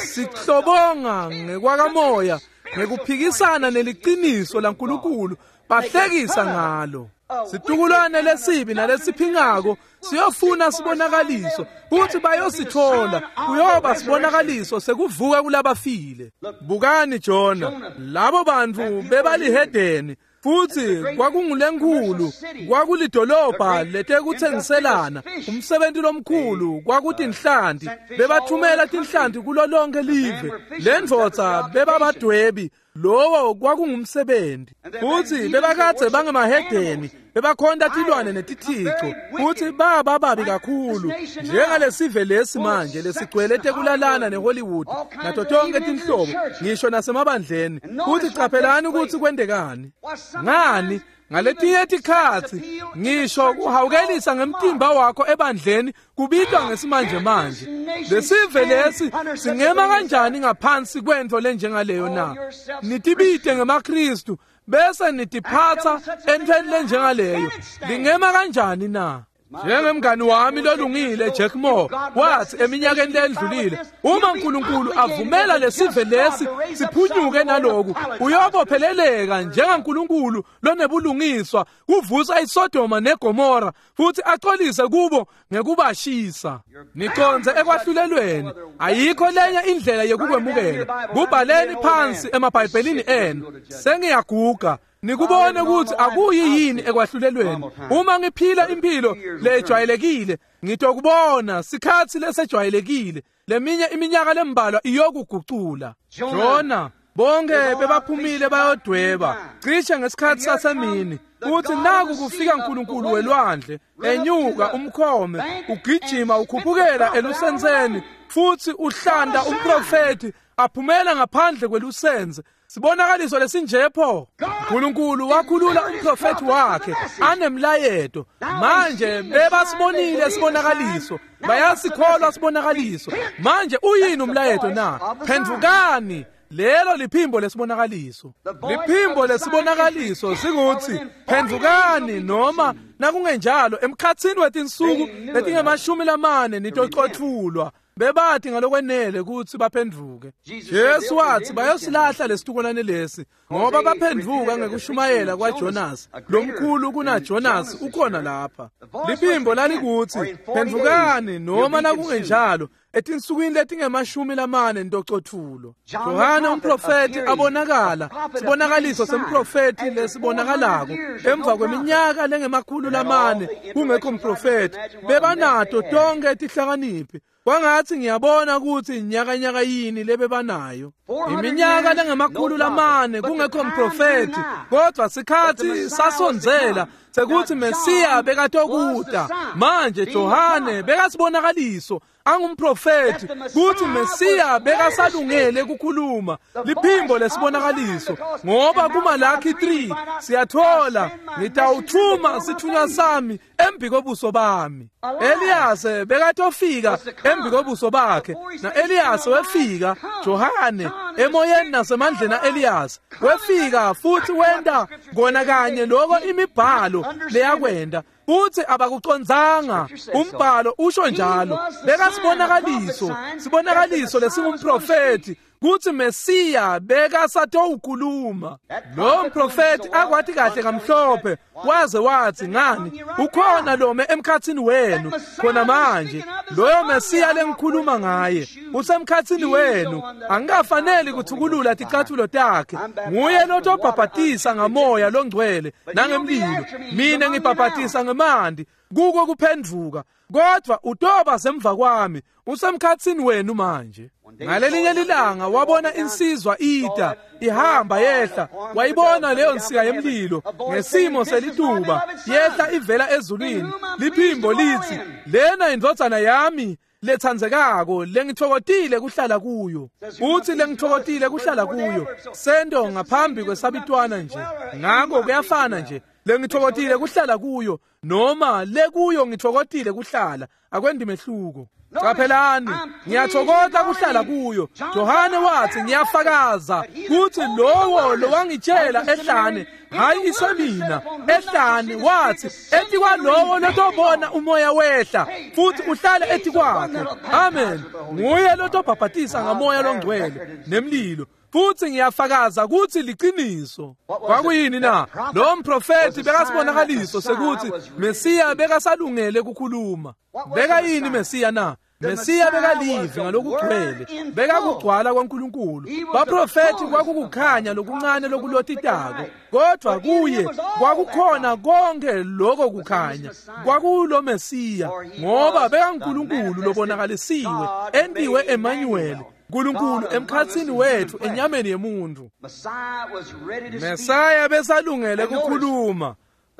sihlobonga ngekwakamoya ngekuphikisana neliqiniso laNkulunkulu, bahlekisa ngalo. Situkulwane lesibi nalesiphingako siyofuna sibonakaliso, futhi bayosithola. Kuyoba sibonakaliso sekuvuka kulabafile. Bukani Jona, labo bantu bebalihedeni, futhi kwakungulenkulu, kwakulidolobha letekuthengiselana, umsebenzi lomkhulu kwakutinhlanti. Bebathumela tinhlanti kulo lonke live. Lendvodza bebabadwebi, lowo kwakungumsebenzi. Futhi bebakadze bangemahedeni, bebakhonta tilwane netithico, futhi baba babi kakhulu njengalesive lesi manje lesigcwele tekulalana neHollywood nato tonke tinhlobo, ngisho nasemabandleni. Futhi qaphelani ukuthi kwendekani. Ngani ngaletinye tikhatsi ngisho kuhawukelisa ngemtimba wakho ebandleni kubitwa ngesimanje manje. Lesive lesi singema kanjani ngaphansi kwento lenjengaleyo na? Nitibite ngemaKristu bese nitiphatha entweni lenjengaleyo, lingema kanjani na? Njengemngani wami lolungile Jack Moore wathi eminyakeni lendlulile, uma uNkulunkulu avumela lesive lesi siphunyuke naloku, uyobopheleleka njengaNkulunkulu lonebulungiswa kuvusa iSodoma neGomora futhi axolise kubo ngekubashisa. Niconze ekwahlulelweni. Ayikho lenye indlela yekukwemukela. Kubhaleni phansi emaBhayibhelini enu. Sengiyaguga. Nikubone ukuthi akuyi yini ekwahlulelweni. Uma ngiphila impilo lejwayelekile, ngitokubona sikhatsi lesejwayelekile. Leminye iminyaka lembalwa iyokugucula. Jona, bonke bebaphumile bayodweba cishe ngesikhathi sasemini. Uthi naku kufika uNkulunkulu welwandle, enyuka umkhome, ugijima ukhuphukela elusenseni, futhi uhlanda umprofeti aphumela ngaphandle kwelusenze. Sibonakaliso lesinjepho. uNkulunkulu wakhulula umprofeti wakhe anemlayeto. Manje bebasibonile sibonakaliso, bayasikholwa sibonakaliso. Manje uyini umlayeto na? Phendvukani. Lelo liphimbo lesibonakaliso. Liphimbo lesibonakaliso sikuthi phendvukani, noma nakungenjalo emkhatsini wetinsuku letingemashumi lamane nitocothulwa. Bebathi ngalokwenele ukuthi baphenduke. Jesu wathi bayosilahla lesitukulwane lesi ngoba baphenduka ngekushumayela kwaJonas. Lomkhulu kunaJonas ukhona lapha. Liphimbo lalikuthi phendvukani, noma nakungenjalo etinsukwini letingemashumi lamane nitocothulo. Johane umprofeti abonakala sibonakaliso semprofeti lesibonakalako emva kweminyaka lengemakhulu lamane kungekho mprofeti. Bebanato tonke tihlakaniphi. Kwangathi ngiyabona ukuthi nyakanyaka yini lebebanayo. Iminyaka lengemakhulu lamane kungekho mprofeti, kodwa sikhathi sasondzela sekuthi Mesiya bekatokuta. Manje Johane bekasibonakaliso angumprofeti kuthi Mesiya bekasalungele ukukhuluma. Liphimbo lesibonakaliso, ngoba kuMalaki 3 siyathola, ngitawuthuma sithunywa sami embi kobuso bami. Eliyase bekatofika embi kobuso bakhe, na Eliyase wefika. Johane emoyeni nasemandleni aEliyase wefika futhi wenta kona kanye lokho imibhalo leyakwenda, futhi abakucondzanga. Umbhalo usho njalo. Bekasibonakaliso, sibonakaliso lesingumprofeti kuthi Mesiya bekasatowukhuluma. Lo mprofeti akwathi kahle kamhlophe, waze wathi ngani ukhona lome emkhathini wenu khona manje. Loyo Mesiya lengikhuluma ngaye usemkhathini wenu, angikafaneli kuthukulula ticathulo takhe. Nguye lotobhabhatisa ngamoya longcwele nangemlilo. Mina ngibhabhatisa ngemanti kuko kuphenduka, kodwa utoba semva kwami, usemkhathini wenu manje. Ngalelinye lilanga wabona insizwa ita ihamba yehla, wayibona leyo nsika yemlilo ngesimo selituba yehla ivela ezulwini. Liphimbo lithi, lena indvodzana yami letsandzekako lengitfokotile kuhlala kuyo. Uthi lengitfokotile kuhlala kuyo, sento ngaphambi kwesabitwana nje, ngako kuyafana nje. Lengitfokotile kuhlala kuyo noma lekuyo ngitfokotile kuhlala, akwendi mehluko. Qaphelani, ngiyathokoza kuhlala kuyo. Johane wathi ngiyafakaza kuthi lowo lowangitshela ehlane, hayi isemina ehlane, wathi etikwalowo lotobona umoya wehla futhi uhlale etikwakhe. Amen. Nguye lotobhabhatisa ngamoya longcwele nemlilo, futhi ngiyafakaza ukuthi liqiniso. Kwakuyini na? Lo mprofeti bekasibonakaliso sekuthi Mesiya bekasalungele ukukhuluma. Bekayini Mesiya na? Mesiya bekalivi ngalokugcwele, bekakugcwala kwaNkulunkulu. Baprofeti kwakukukhanya lokuncane lokulotitako, kodwa kuye kwakukhona konke lokho kukhanya. Kwakulo Mesiya, ngoba bekaNkulunkulu lobonakalisiwe, entiwe Emmanuel, uNkulunkulu emkhatsini wethu enyameni yemuntu. Mesaya besalungele ukukhuluma.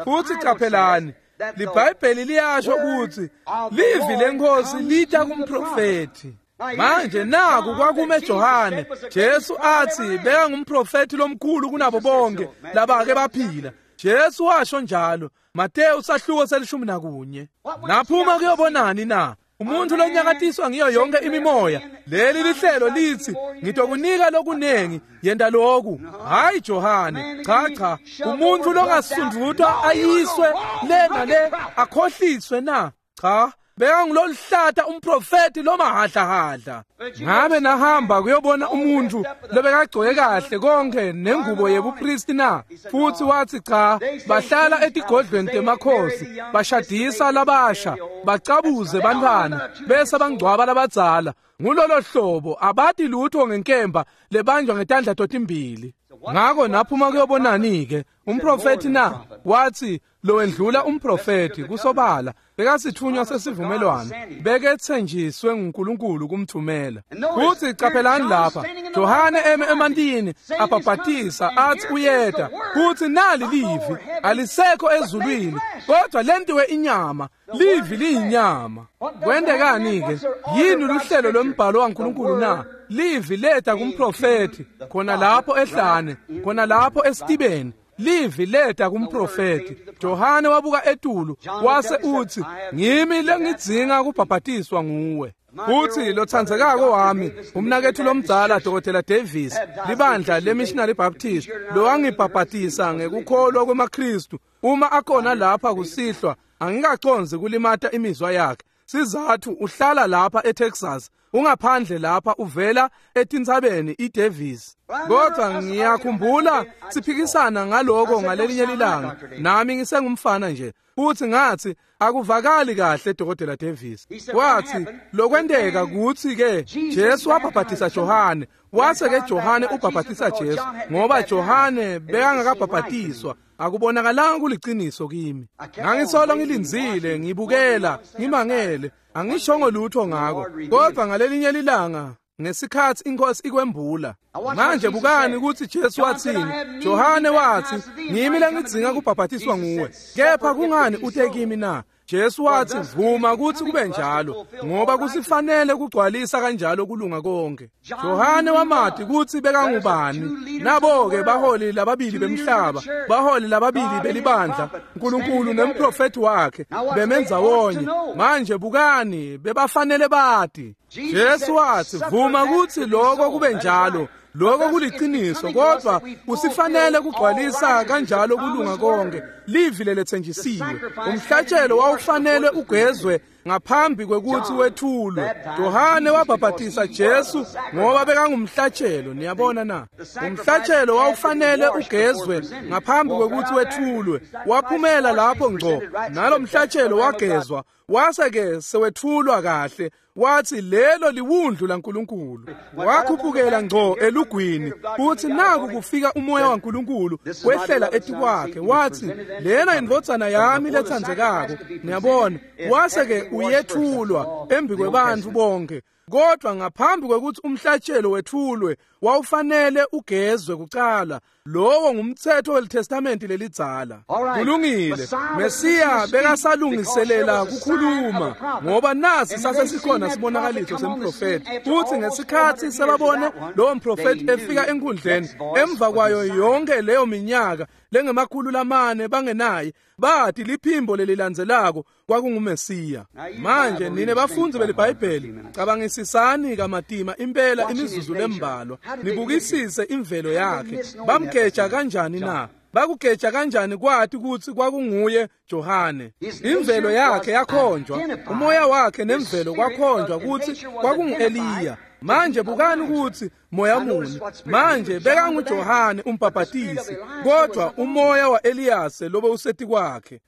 Futhi qaphelani, liBhayibheli liyasho ukuthi livi lenkosi lita kumprofeti. Manje naku kwakume Johane. Jesu athi bekangumprofeti lomkhulu kunabo bonke labake baphila. Jesu washo njalo, Mateyu sahluko se-11. Naphuma kuyobonani na? Umuntu lonyakatiswa ngiyo yonke imimoya. Leli lihlelo lithi ngitokunika lokunengi, yenta loku. Hayi Johane, cha cha, umuntu longasundvutwa ayiswe le nale akhohliswe na? Cha, bekanguloluhlata umprofeti lomahadlahadla. Ngabe nahamba kuyobona umuntu lobekagcoke kahle konke nengubo yebupristi na? Futhi wathi cha, bahlala etigodlweni temakhosi, bashadisa labasha, bacabuze bantwana, bese bangcwaba labadzala. Ngulolo hlobo abati lutho ngenkemba lebanjwa ngetandla totimbili. Ngako naphuma kuyobonani ke umprofeti na? Wathi lowendlula umprofeti kusobala bekasithunywa sesivumelwano, bekethenjiswe nguNkulunkulu kumthumela. Futhi qaphelani lapha, Johane eme emantini abhabhatisa athi uyeda, futhi nali livi alisekho ezulwini, kodwa lentiwe inyama. Livi liyinyama. Kwendekani ke? Yini luhlelo lombhalo waNkulunkulu na? Livi leta kumprofeti khona lapho ehlane, khona lapho esitibeni. Livi leta kumprofeti. Johane wabuka etulu wase uthi, ngimi lengidzinga kubhabhatiswa nguwe. Futhi lothandzekako wami, umnakethu lomdzala Dr. Davis, libandla leMissionary Baptist, lowangibhabhatisa ngekukholwa kwemaKristu, uma akhona lapha kusihlwa, angikaconzi kulimata imizwa yakhe. Sizathu uhlala lapha eTexas, ungaphandle lapha uvela etintsabeni iDavis. Kodwa ngiyakhumbula siphikisana ngaloko ngalelinye lilanga, nami ngisengumfana nje. Futhi ngathi akuvakali kahle Dr. Davis. Wathi lokwenteka kuthi ke Jesu wabhabhatisa Johane, wase ke Johane ubhabhatisa Jesu, ngoba Johane bekangakabhabhatiswa. Akubonakalanga kuliciniso kimi. Ngangisolo ngilindzile, ngibukela, ngimangele, angishongo lutho ngako. Kodwa ngalelinye lilanga ngesikhathi inkosi ikwembula. Manje bukani ukuthi Jesu wathini. Johane wathi, ngimi lengidzinga kubhabhatiswa nguwe, kepha kungani ute kimi na? Jesu wathi, vuma ukuthi kube njalo, ngoba kusifanele kugcwalisa kanjalo kulunga konke. Johane wamati ukuthi bekangubani. Nabo-ke baholi lababili bemhlaba, baholi lababili belibandla, uNkulunkulu nemprofeti wakhe bemenza wonye. Manje bukani, bebafanele bati. Jesu wathi, vuma ukuthi lokho kube njalo. Lokho kuliciniso, kodwa kusifanele kugcwalisa kanjalo kulunga konke. Livi lelethenjisiwe. Umhlatshelo wawufanele ugezwe ngaphambi kwekuthi wethulwe. Johane wabhabhatisa Jesu ngoba bekangumhlatshelo, niyabona na? Umhlatshelo wawufanele ugezwe ngaphambi kwekuthi wethulwe. Waphumela lapho ngco, nalomhlatshelo wagezwa, wase ke sewethulwa kahle. Wathi lelo liwundlu laNkulunkulu. Wakhuphukela ngco elugwini, futhi naku kufika umoya waNkulunkulu wehlela etikwakhe. Wathi lena indvodzana yami lethandzekako, niyabona. Wase ke uyethulwa embi kwebantfu bonke. Kodwa ngaphambi kwekuthi umhlatshelo wethulwe, wawufanele ugezwe kucala. Lowo ngumthetho weliTestamenti lelidzala. Kulungile. Mesiya bekasalungiselela kukhuluma, ngoba nasi sasesikhona sibonakaliso semprofeti. Futhi ngesikhathi sebabone lowo mprofeti efika enkundleni emva kwayo yonke leyo minyaka lengemakhulu lamane bangenaye, bathi liphimbo lelilandzelako kwakunguMesiya. Manje nine bafundzi beliBhayibheli, cabangisisani kamatima impela imizuzu lembalwa, nibukisise imvelo yakhe. Bamgeja kanjani na? Bakugeja kanjani kwathi ukuthi kwakunguye Johane? Imvelo yakhe yakhonjwa, umoya wakhe nemvelo kwakhonjwa ukuthi kwakungu-Eliya. Manje bukani ukuthi moya muni. Manje bekanguJohane umbhabhatisi, kodwa umoya wa-Eliyase lobe useti kwakhe.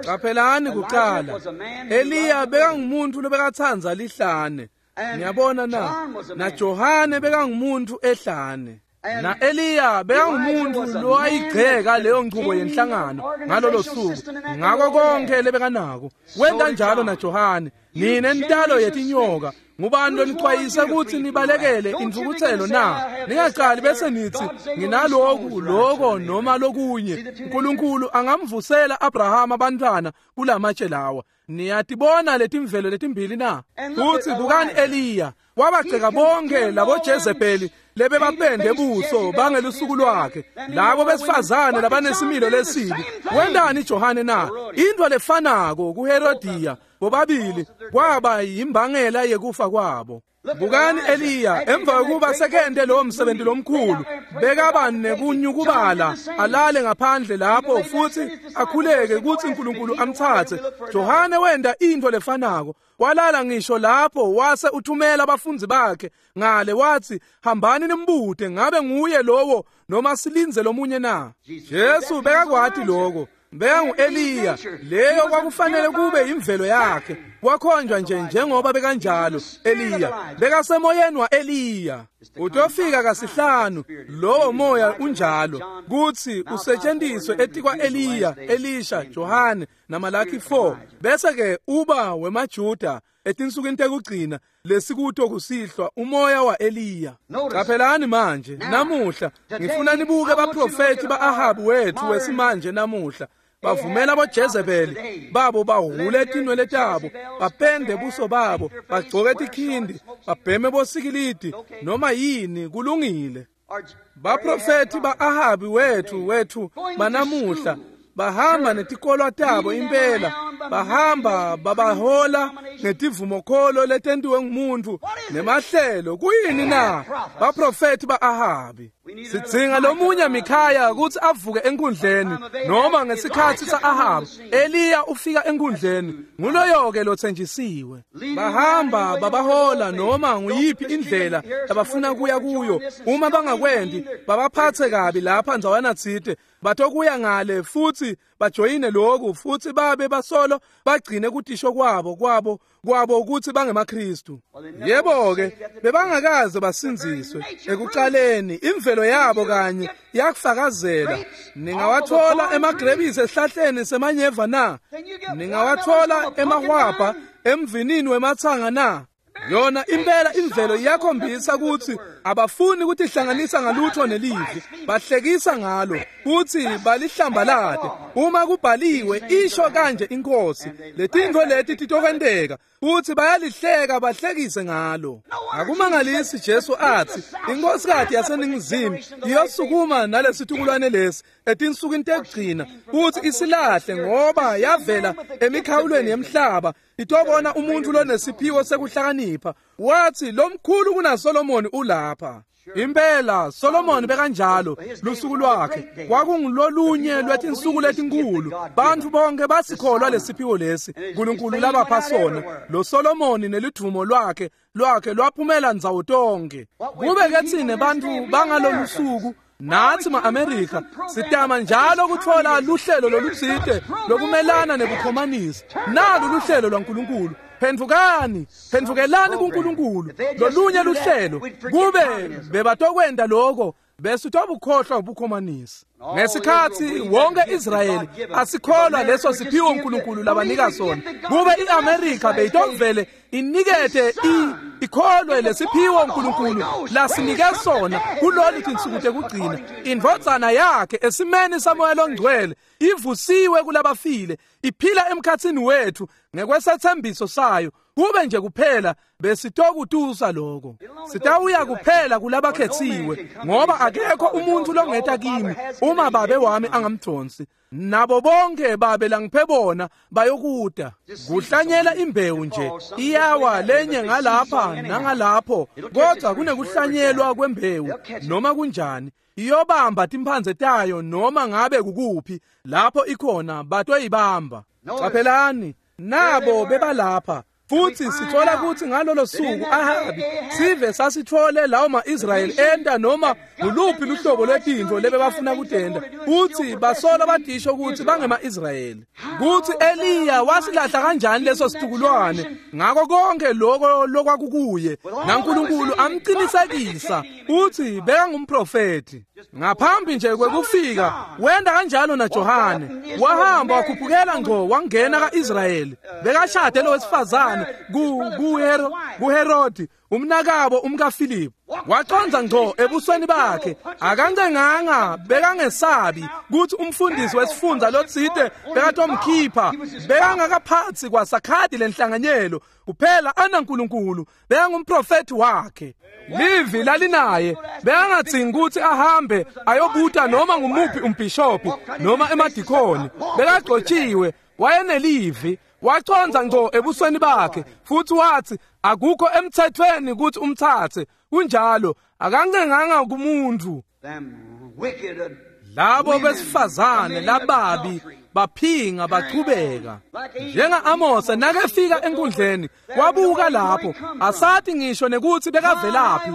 Qaphelani kuqala, Eliya bekangumuntu lobekathandza lihlane, niyabona na? NaJohane bekangumuntu ehlane. Na Eliya bekangumuntu lowayigceka leyo nchubo yenhlangano ngalolo suku, ngako konke lebekanako. Wenta njalo naJohane. Nine ntalo yetinyoka, ngubani lonicwayisa ukuthi nibalekele intfukutselo na? Ningaqali bese nithi nginaloku loko noma lokunye. uNkulunkulu angamvusela Abraham abantwana kulamatshe lawa. Niyatibona letimvelo letimbili na? Futhi bukani Eliya wabagceka bonke labo Jezebeli lebebapende buso bangelusuku lwakhe, labo besifazane labanesimilo lesibi. Wentani Johane na? Into lefanako kuHerodiya. Bobabili kwaba yimbangela yekufa kwabo. Bukani Eliya emva kokuba sekente lowo msebenzi lomkhulu, bekaba nekunyukubala alale ngaphandle lapho futhi akhuleke ukuthi uNkulunkulu amthathe. Johane wenda into lefanako, walala ngisho lapho wase uthumela abafundi bakhe ngale wathi hambani nimbute ngabe nguye lowo noma silinze lomunye na. Jesu bekakwati lokho. Bekangu Eliya, leyo kwakufanele kube imvelo yakhe. Wakhonjwa nje njengoba bekanjalo Eliya, bekasemoyeni wa Eliya. Utofika kasihlanu lowo moya unjalo kuthi usetshenziswe etikwa Eliya, Elisha, Johane naMalaki 4, bese ke uba wemaJuda etinsukwini tekugcina lesikuto kusihlwa umoya wa Eliya. Qaphelani manje namuhla ngifuna nibuke abaprofeti ba-Ahabu wethu wesimanje namuhla. Bavumela boJezebeli babo bahule tinwele tabo, bapende buso babo, bagcoke tikhindi, babheme bosikilidi noma yini kulungile. Baprofeti ba-Ahabi wethu banamuhla bahamba netikolwa tabo impela, bahamba babahola ngetivumokholo letentiwe ngumuntu nemahlelo. Kuyini na? Baprofeti ba-Ahabi. Sidzinga lomunye Mikhaya ukuthi avuke enkundleni, noma ngesikhathi sa-Ahabi Eliya ufika enkundleni, nguloyo-ke lothenjisiwe. Bahamba babahola noma nguyiphi indlela abafuna kuya kuyo. Uma bangakwendi babaphathe kabi lapha ndzawana tsite, batokuya ngale futhi bajoyine lokhu futhi babe basolo bagcine kutisho kwabo ukuthi bangemaKristu. Yebo ke bebangakaze basinziswe ekuqaleni, imvelo yabo kanye yakufakazela. Ningawathola emagrebisi esihlahleni semanyeva na? Ningawathola emahwabha emvinini wemathanga na? Yona impela imvelo iyakhombisa ukuthi abafuni ukutihlanganisa ngalutho nelivi, bahlekisa ngalo futhi balihlambalade. Uma kubhaliwe isho kanje inkosi, letintfo leti titokwenteka, futhi bayalihleka bahlekise ngalo. Akumangalisi Jesu athi inkosikazi yaseningizimu iyosukuma nalesitukulwane lesi etinsukwini tekugcina futhi isilahle, ngoba yavela emikhawulweni yemhlaba itobona umuntu lonesiphiwo sekuhlakanipha. Wathi lomkhulu kunaSolomoni ulapha. Impela Solomoni bekanjalo lusuku lwakhe kwakungulolunye lwetinsuku letinkulu. Bantu bonke basikholwa lesiphiwo lesi uNkulunkulu labapha sona. Lo Solomoni nelidvumo lwakhe lwaphumela ndzawo tonke. Kube ke tsine bantu bangalolu suku nathi ma-Amerika sitama njalo ukuthola luhlelo lolutsite lokumelana nebukhomanisi. Nalu luhlelo lwaNkulunkulu. Phendvukani, phendvukelani kuNkulunkulu. Lolunye luhlelo kube bebatokwenda lokho bese utobukhohlwa ubukhomanisi. Ngesikhathi wonke Israyeli asikholwa leso siphiwo uNkulunkulu labanika sona, kube iAmerica beyitovele inikete ikholwe lesiphiwo uNkulunkulu lasinike sona kulolu tinsuku tekugcina. Indvodzana yakhe esimeni saMoya loNgcwele ivusiwe kulabafile, iphila emkhatsini wethu ngekwesethembiso sayo. Kube nje kuphela besitokutusa lokho. Sitawuya kuphela kulabakhethiwe, ngoba akekho umuntu longeta kimi uma babe wami angamdonsi. Nabo bonke babe langiphe bona bayokuda. Kuhlanyela imbewu nje iyawa lenye ngalapha nangalapho, kodwa kunekuhlanyelwa kwembewu noma kunjani iyobamba timphandze tayo noma ngabe kukuphi lapho ikhona batoyibamba. Qaphelani nabo bebalapha. Futhi sithola ukuthi ngalolo suku Ahabi sive sasithole lawo ma-Israyeli enta noma nguluphi luhlobo lwetintfo lebebafuna kutenta, futhi basola badisho ukuthi bangema-Israyeli. Kuthi Eliya wasilahla kanjani leso situkulwane ngako konke lokho lokwakukuye, naNkulunkulu amqinisekisa uthi bekangumprofeti. Ngaphambi nje kwekufika wenda kanjalo naJohane, wahamba wakhuphukela ngqo wangena ka-Israyeli. Bekashade lo wesifazane kuHerodi umnakabo umkaFilipu. Waqonza ngqo ebusweni bakhe, akancenganga, bekangesabi ukuthi umfundisi wesifundza lotsite bekatomkhipha. Bekangakaphathi kwasakhadi lenhlanganyelo kuphela anaNkulunkulu, bekangumprofeti wakhe. Livi lalinaye, bekangadzingi ukuthi ahambe ayobuta noma ngumuphi umbhishophi noma emadikoni. Bekagcotshiwe, wayenelivi. Wachonza ngco ebusweni bakhe futhi wathi akukho emthethweni ukuthi umthathe. Kunjalo, akancenganga kumuntu. Labo besifazane lababi baphinga bachubeka. Njenga Amos nakefika enkundleni wabuka lapho, asathi ngisho nekuthi bekavelaphi.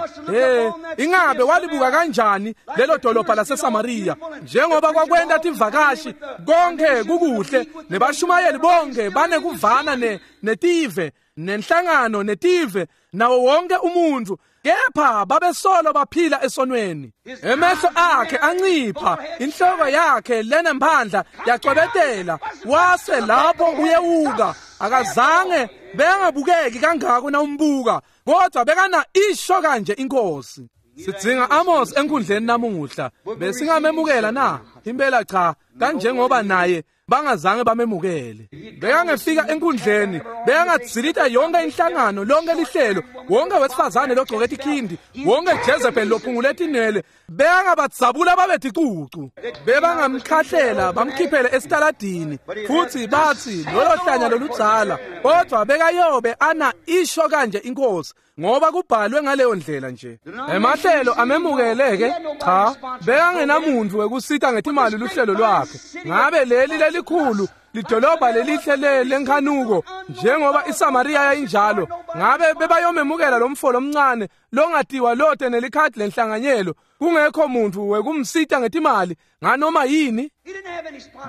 Ingabe walibuka kanjani lelo dolobha laseSamaria, njengoba kwakwenda tivakashi konke kukuhle nebashumayeli bonke banekuvana netive nenhlangano netive nawo wonke umuntu, kepha babesolo baphila esonweni. Emehlo akhe ancipha, inhloko yakhe lenemphandla yacwebetela, wase lapho uyewuka. Akazange bengabukeki kangako nawumbuka, kodwa bekana isho kanje inkosi. Sidzinga Amos enkundleni namuhla. Besingamemukela na? Impela cha, kanjengoba naye bangazange bamemukele. Bekangefika enkundleni, bekangadzilita yonke inhlangano, lonke lihlelo, wonke wesifazane logcoke tikhindi, wonke Jezebel lophungule tinwele, bekangabadzabula babe ticucu. Bebangamkhahlela bamkhiphele esitaladini futhi bathi lolo hlanya loludzala, kodwa bekayobe ana isho kanje inkosi, ngoba kubhalwe ngaleyo ndlela nje. Emahlelo amemukele-ke? Cha, bekangenamuntu wekusita ngetimali luhlelo lwakhe. Ngabe leli lelikhulu lidolobha lelihle lenkhanuko njengoba iSamaria yayinjalo, ngabe bebayomemukela lo mfo lomncane longatiwa lote nelikhadi lenhlanganyelo, kungekho muntu wekumsita ngetimali nganoma yini?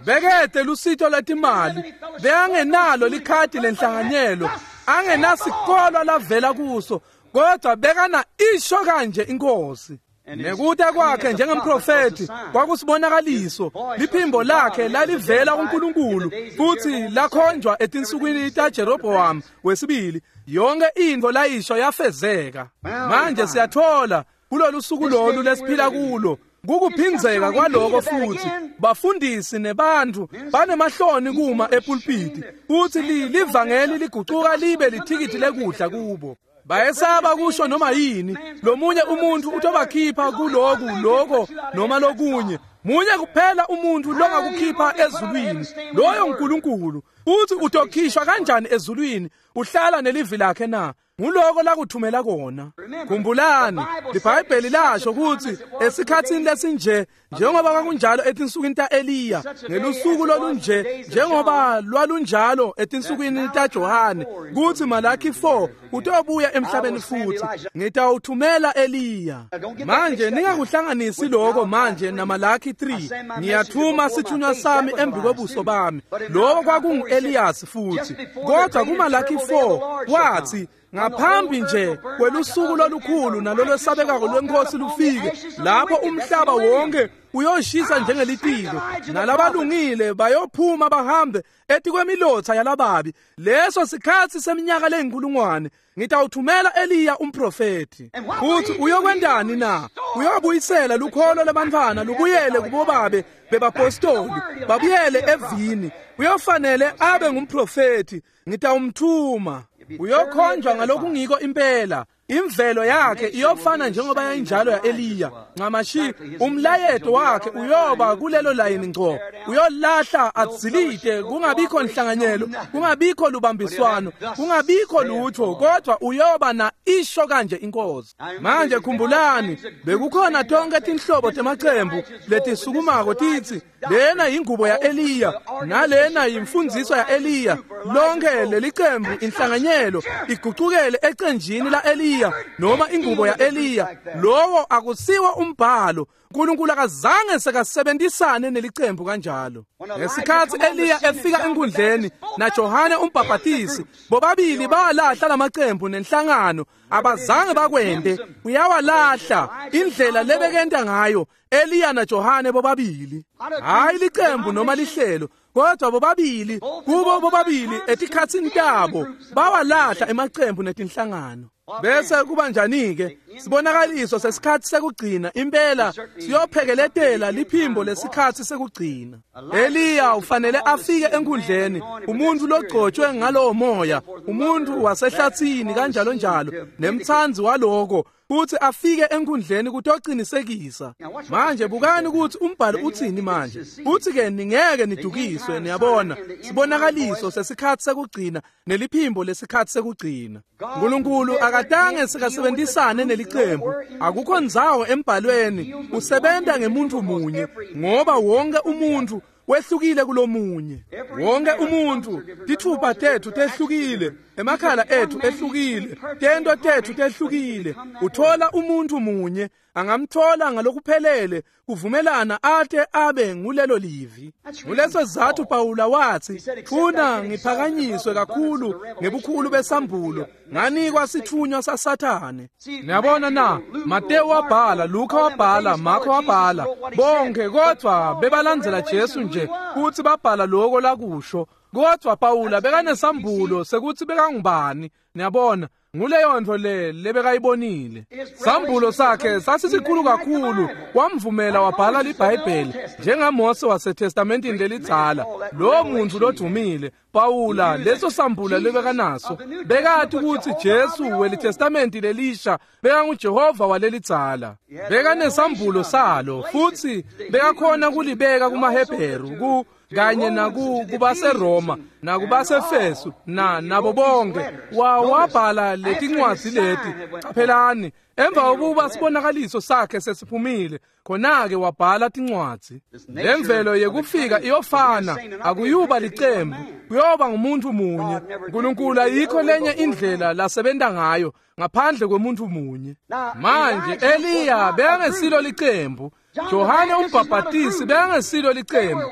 Bekede lusito lwetimali, bekangenalo likhadi lenhlanganyelo, angenasikolwa lavela kuso, kodwa bekana isho kanje inkosi. Nekuta kwakhe njengemprofeti kwakusibonakaliso, liphimbo lakhe lalivela kuNkulunkulu futhi lakhonjwa etinsukwini taJeroboam wesibili. Yonke into layisho yafezeka. Manje siyathola kulolu suku lolu lesiphila kulo kukuphinzeka kwaloko futhi. Bafundisi nebantu banemahloni kuma epulpiti futhi livangeli ligucuka libe lithikithi lekudla kubo. Bayesaba kusho noma yini. Lomunye umuntu utobakhipha kuloku lokho noma lokunye. Munye kuphela umuntu longakukhipha ezulwini, loyo uNkulunkulu. Uthi utokhishwa kanjani ezulwini uhlala nelivi lakhe na? Nguloko lakuthumela kona. Khumbulani, iBhayibheli lasho ukuthi esikhatsini lesinje, njengoba kwakunjalo etinsukwini taEliya, ngelusuku lolunje njengoba lwalunjalo etinsukwini taJohane, kuthi Malaki 4 utobuya emhlabeni futhi ngitawuthumela Eliya. Manje ningakuhlanganisi lokho manje naMalaki 3. Ngiyathuma sithunywa sami embi kwebuso bami. Lokho kwakungu-Eliyasi futhi. Kodwa kuMalaki 4 wathi ngaphambi nje kwelusuku lolukhulu nalolwesabekako lwenkosi lufike, lapho umhlaba wonke uyoshisa njengelitiko, nalabalungile bayophuma bahambe etikwemilotha yalababi. Leso sikhathi seminyaka leyinkulungwane ngitawuthumela Eliya umprofeti. Futhi uyokwendani na? Uyobuyisela lukholo labantwana lubuyele kubobabe bebapostoli, babuyele evini. Uyofanele abe ngumprofeti. Ngitawumthuma. Uyokhonjwa ngalokungiko impela. Imvelo yakhe iyofana njengoba yayinjalo ya-Eliya. Ncamashi umlayeto wakhe uyoba kulelo layini ngco. Uyolahla adzilite, kungabikho nhlanganyelo, kungabikho lubambiswano, kungabikho lutho, kodwa uyoba na isho kanje inkosi. Manje khumbulani, bekukhona tonke tinhlobo temacembu letisukumako titsi lena yingubo ya-Eliya nalena yimfundziso ya-Eliya. Lonke lelicembu inhlanganyelo igucukele ecenjini la-Eliya noma ingubo ya-Eliya. Lowo akusiwo umbhalo. uNkulunkulu akazange sekasebenzisane nelicembu kanjalo. Ngesikhathi Eliya efika enkundleni naJohane umbhaphatisi, bobabili bawalahla lamacembu nenhlangano, abazange bakwente. Uyawalahla indlela lebekenta ngayo Eliya naJohane bobabili. Hayi licembu noma lihlelo, kodwa bobabili, kubo bobabili etikhatsini tabo bawalahla emacembu netinhlangano. Bese kuba njani-ke? Sibonakaliso sesikhathi sekugcina impela siyophekeletela liphimbo lesikhathi sekugcina. Eliya ufanele afike enkundleni, umuntu logcotshwe ngalowo moya, umuntu wasehlathini kanjalo njalo, nemthanzi waloko, futhi afike enkundleni kutocinisekisa. Manje bukani ukuthi umbhalo uthini manje. Uthi-ke ningeke nidukiswe, niyabona, sibonakaliso sesikhathi sekugcina neliphimbo lesikhathi sekugcina. uNkulunkulu akatange sikasebenzisane nelicembu, akukho ndzawo embhalweni, usebenta ngemuntu munye, ngoba wonke umuntu wehlukile kulomunye. Wonke umuntu, tithupha tethu tehlukile, emakhala ethu ehlukile, tento tethu tehlukile. Uthola umuntu munye, angamthola ngalokuphelele kuvumelana ate abe ngulelo livi. Nguleso sizathu Pawula wathi, funa ngiphakanyiswe kakhulu ngebukhulu besambulo, nganikwa sithunywa saSathane. Niyabona na, Mateyu wabhala, Luka wabhala, Marko wabhala, bonke kodwa bebalandzela Jesu nje futhi babhala lokho lakusho. Kodwa Pawula bekanesambulo sekuthi bekangubani. Niyabona, nguleyo nto le lebekayibonile. Sambulo sakhe sasisikhulu kakhulu, wamvumela wabhala liBhayibheli njengaMose waseTestamentini lelidzala. Lo muntu lodumile Pawula, leso sambulo lebekanaso, bekati ukuthi Jesu weliTestamenti lelisha bekanguJehova walelidzala. Bekanesambulo salo futhi bekakhona kulibeka kumaHebheru ku kanye naku kubaseRoma nakubasefesu na nabo bonke. Wabhala letincwadzi leti. Caphelani, emva kokuba sibonakaliso sakhe sesiphumile, khona-ke wabhala tincwadzi. Lemvelo yekufika iyofana, akuyuba licembu, kuyoba ngumuntu munye. uNkulunkulu ayikho lenye indlela lasebenta ngayo ngaphandle kwemuntu munye. Manje Eliya bekangesilo licembu, Johane umbhabhatisi bekangesilo licembu,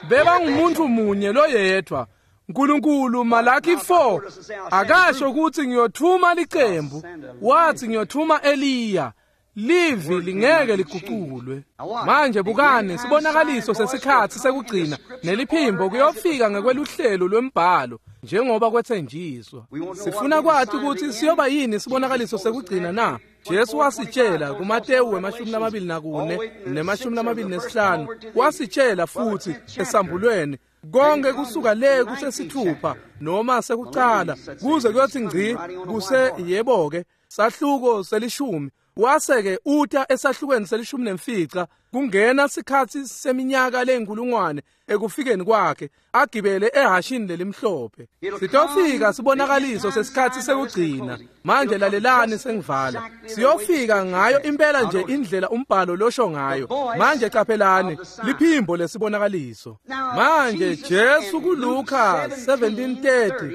bebangumuntu munye loyedwa. uNkulunkulu Malaki 4 akasho ukuthi ngiyothuma licembu, wathi ngiyothuma Eliya. Livi lingeke liguculwe. Manje bukani, sibonakaliso sesikhathi sekugcina neliphimbo kuyofika ngekweluhlelo lwembhalo njengoba kwethenjiswa. Sifuna kwathi ukuthi siyoba yini sibonakaliso sekugcina na? Jesu wasitshela kuMateyu we-24 ne-25, wasitshela futhi esambulweni konke kusuka le kusesithupha noma sekucala kuze kuyothi ngci kuse yebo-ke sahluko selishumi. Wase-ke uta esahlukweni selishumi nemfica kungena sikhathi seminyaka leyinkulungwane ekufikeni kwakhe agibele ehashini lelimhlophe. Sitofika sibonakaliso sesikhathi sekugcina. Manje lalelani sengivala. Siyofika ngayo impela nje indlela umbhalo losho ngayo. Manje qaphelani liphimbo lesibonakaliso. Manje Jesu kuLuka 17:30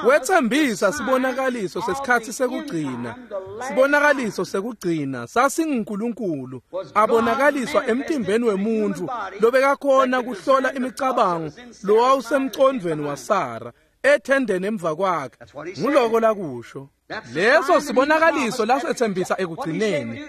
wethembisa sibonakaliso sesikhathi sekugcina. Sibonakaliso sekugcina sasinguNkulunkulu abonakaliswa emtimbeni wemuntu lobekakhona kuhlola imicabango lowawusemcondweni waSara ethendeni emva kwakhe. Nguloko lakusho. Leso sibonakaliso lasethembisa ekugcineni.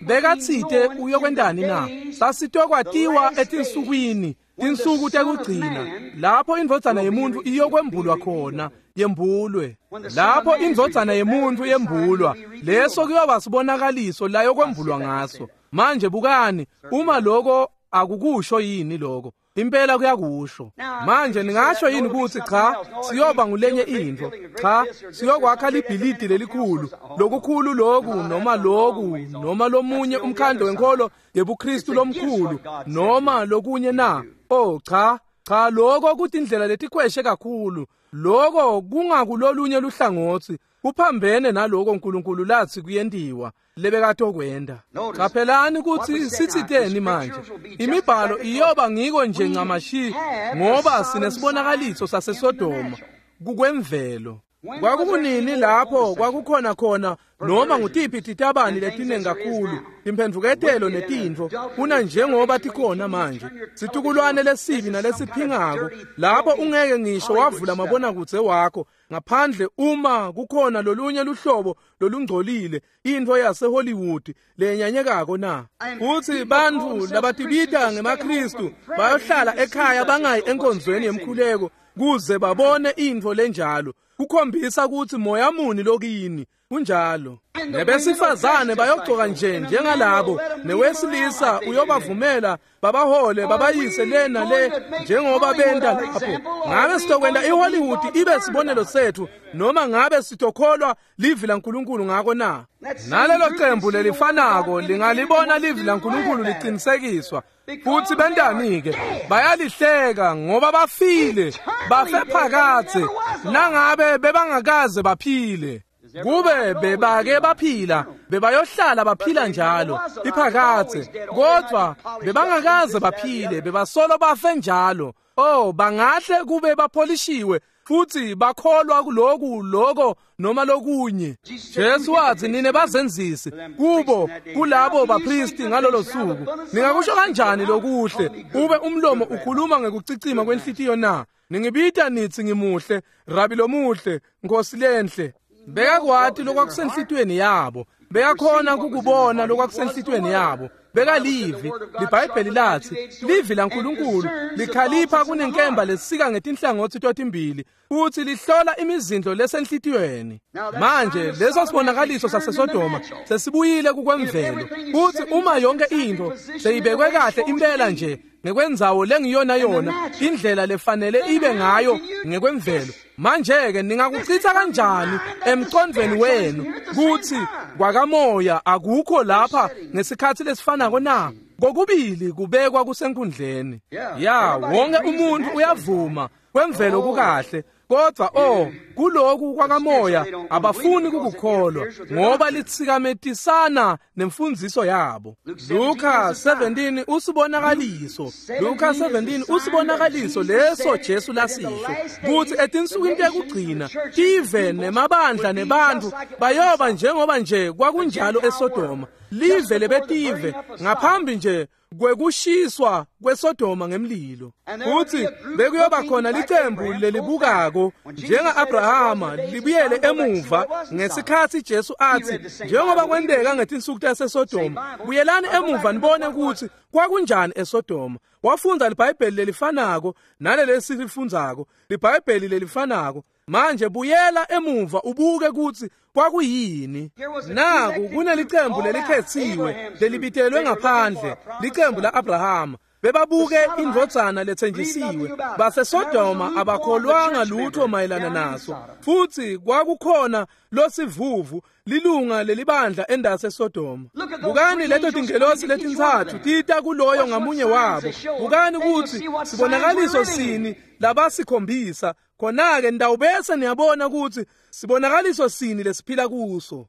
Bekathite uyokwentani na? Sasitokwatiwa etinsukwini, tinsuku tekugcina, lapho indvodzana yemuntu iyokwembulwa khona, yembulwe. Lapho indvodzana yemuntu yembulwa, leso kuyoba sibonakaliso layokwembulwa ngaso. Manje bukani, uma lokho akukusho yini lokho? Impela kuyakusho. Manje ningasho yini ukuthi cha, siyoba ngulenye into? Cha, siyokwakha libhilidi lelikhulu, lokukhulu loku noma loku noma lomunye umkhandlo wenkolo yebuKristu lomkhulu noma lokunye na? Oh cha, cha, lokho kutindlela letikhweshe kakhulu. Lokho kungakulolunye luhlangothi, kuphambene naloko uNkulunkulu lathi kuyentiwa lebekatokwenda. Qaphelani ukuthi sithiteni manje. Imibhalo iyoba ngiko nje ncamashi ngoba sinesibonakaliso saseSodoma kukwemvelo. Kwakunini lapho kwakukhona khona noma ngutiphi titabani letiningi kakhulu, imphendvuketelo netintfo kuna njengoba tikhona manje. Situkulwane lesibi nalesiphingako, lapho ungeke ngisho wavula mabonakudze wakho ngaphandle uma kukhona lolunye luhlobo lolungcolile, into yaseHollywood lenyanyekako na. Futhi bantfu labatibita ngemaKristu bayohlala ekhaya bangayi enkonzweni yemkhuleko kuze babone intfo lenjalo. Kukhombisa ukuthi moya muni lokini. Kunjalo. Nebesifazane bayogcoka nje njengalabo, newesilisa uyobavumela babahole babayise le nale njengoba benta lapho. Ngabe sitokwenta iHollywood ibe sibonelo sethu, noma ngabe sitokholwa livi laNkulunkulu ngako na? Nalelo cembu lelifanako lingalibona livi laNkulunkulu liqinisekiswa, futhi bentani-ke? Bayalihleka ngoba bafile, bafe phakadze, nangabe bebangakaze baphile. Kube bebake baphila, bebayohlala baphila njalo iphakadze, kodwa bebangakaze baphile, bebasolo bafe njalo. Oh, bangahle kube bapholishiwe futhi bakholwa kuloku lokho noma lokunye. Jesu wathi, nine bazenzisi, kubo kulabo bapristi ngalolo suku, ningakusho kanjani lokuhle ube umlomo ukhuluma ngekucicima kwenhlitiyo na? Ningibita nithi ngimuhle, Rabi lomuhle, Nkosi lenhle. Bekakwati lokwakusenhlitiyweni yabo, bekakhona kukubona lokwakusenhlitiyweni yabo. Bekalivi, liBhayibheli lathi, livi laNkulunkulu likhalipha kunenkemba lesika ngetinhlangothi totimbili, futhi lihlola imizindlo lesenhlitiyweni. Manje leso sibonakaliso saseSodoma sesibuyile kukwemvelo, futhi uma yonke into seyibekwe kahle impela nje ngekwendzawo lengiyona yona, indlela lefanele ibe ngayo ngekwemvelo. Manje-ke ningakuchitha kanjani emqondweni wenu kuthi kwakamoya akukho lapha ngesikhathi lesifanako na? Kokubili kubekwa kusenkundleni. Ya, wonke umuntu uyavuma kwemvelo kukahle, kodwa oh, kuloku kwakamoya abafuni kukukholwa ngoba litsikametisana nemfundziso yabo. Luka 17 usibonakaliso. Luka 17 usibonakaliso leso Jesu lasisho kuthi etinsukwini tekugcina tive nemabandla nebantu bayoba njengoba nje kwakunjalo eSodoma, live lebetive ngaphambi nje kwekushiswa kweSodoma ngemlilo. Futhi bekuyoba khona licembu lelibukako njenga-Abrahama libuyele emuva ngesikhathi Jesu athi, njengoba kwenteka ngetinsuku taseSodoma, buyelani emuva nibone ukuthi kwakunjani eSodoma. Wafundza liBhayibheli lelifanako naleli esilifundzako, liBhayibheli lelifanako. Manje buyela emuva ubuke ukuthi kwakuyini. Naku kunelicembu lelikhethiwe lelibitelwe ngaphandle, licembu la-Abrahama. Bebabuke indvodzana lethenjisiwe. BaseSodoma abakholwanga lutho mayelana naso, futhi kwakukhona losivuvu, lilunga lelibandla endase eSodoma. Bukani leto tingelosi letintsatfu tita kuloyo ngamunye wabo. Bukani ukuthi sibonakaliso sini labasikhombisa. Khona-ke nitawubese niyabona ukuthi sibonakaliso sini lesiphila kuso.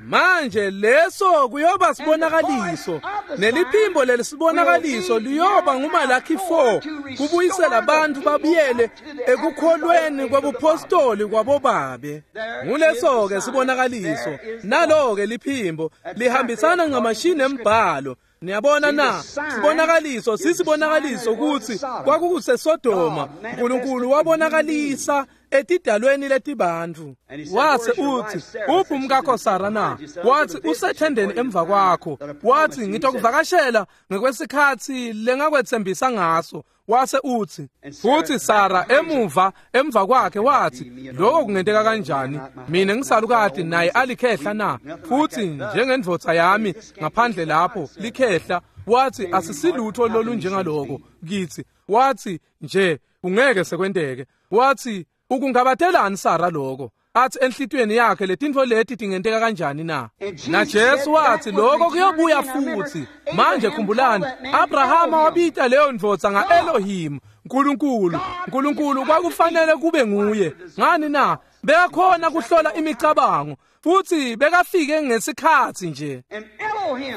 Manje leso kuyoba sibonakaliso, neliphimbo lelisibonakaliso liyoba nguMalakhi 4, kubuyisela abantu babuyele ekukholweni kwebupostoli kwabobabe. Nguleso-ke sibonakaliso, nalo-ke liphimbo lihambisana ncamashi nembhalo. Niyabona na? Sibonakaliso sisibonakaliso ukuthi kwakukuseSodoma uNkulunkulu wabonakalisa etidalweni letibantfu. Wase uthi, uphi umkakho Sara na? Wathi, usethendeni emva kwakho. Wathi, ngitokuvakashela ngekwesikhathi lengakwethembisa ngaso. Wase uthi, futhi Sara emuva emva kwakhe wathi, lokho kungenteka kanjani? Mina ngisalukati naye alikhehla na? Futhi njengendvodza yami ngaphandle lapho likhehla. Wathi, asisilutho lolunjengaloko kithi. Wathi nje kungeke sekwenteke. Wathi, ukungabatelani Sara lokho? Athi enhlitiyweni yakhe letintfo leti tingenteka kanjani na? Na Jesu wathi lokho kuyobuya futhi. Manje khumbulani, Abrahama wabita leyo ndvodza nga-Elohim, uNkulunkulu. uNkulunkulu kwakufanele kube nguye. Ngani na? Bekakhona kuhlola imicabango, futhi bekafike ngesikhathi nje.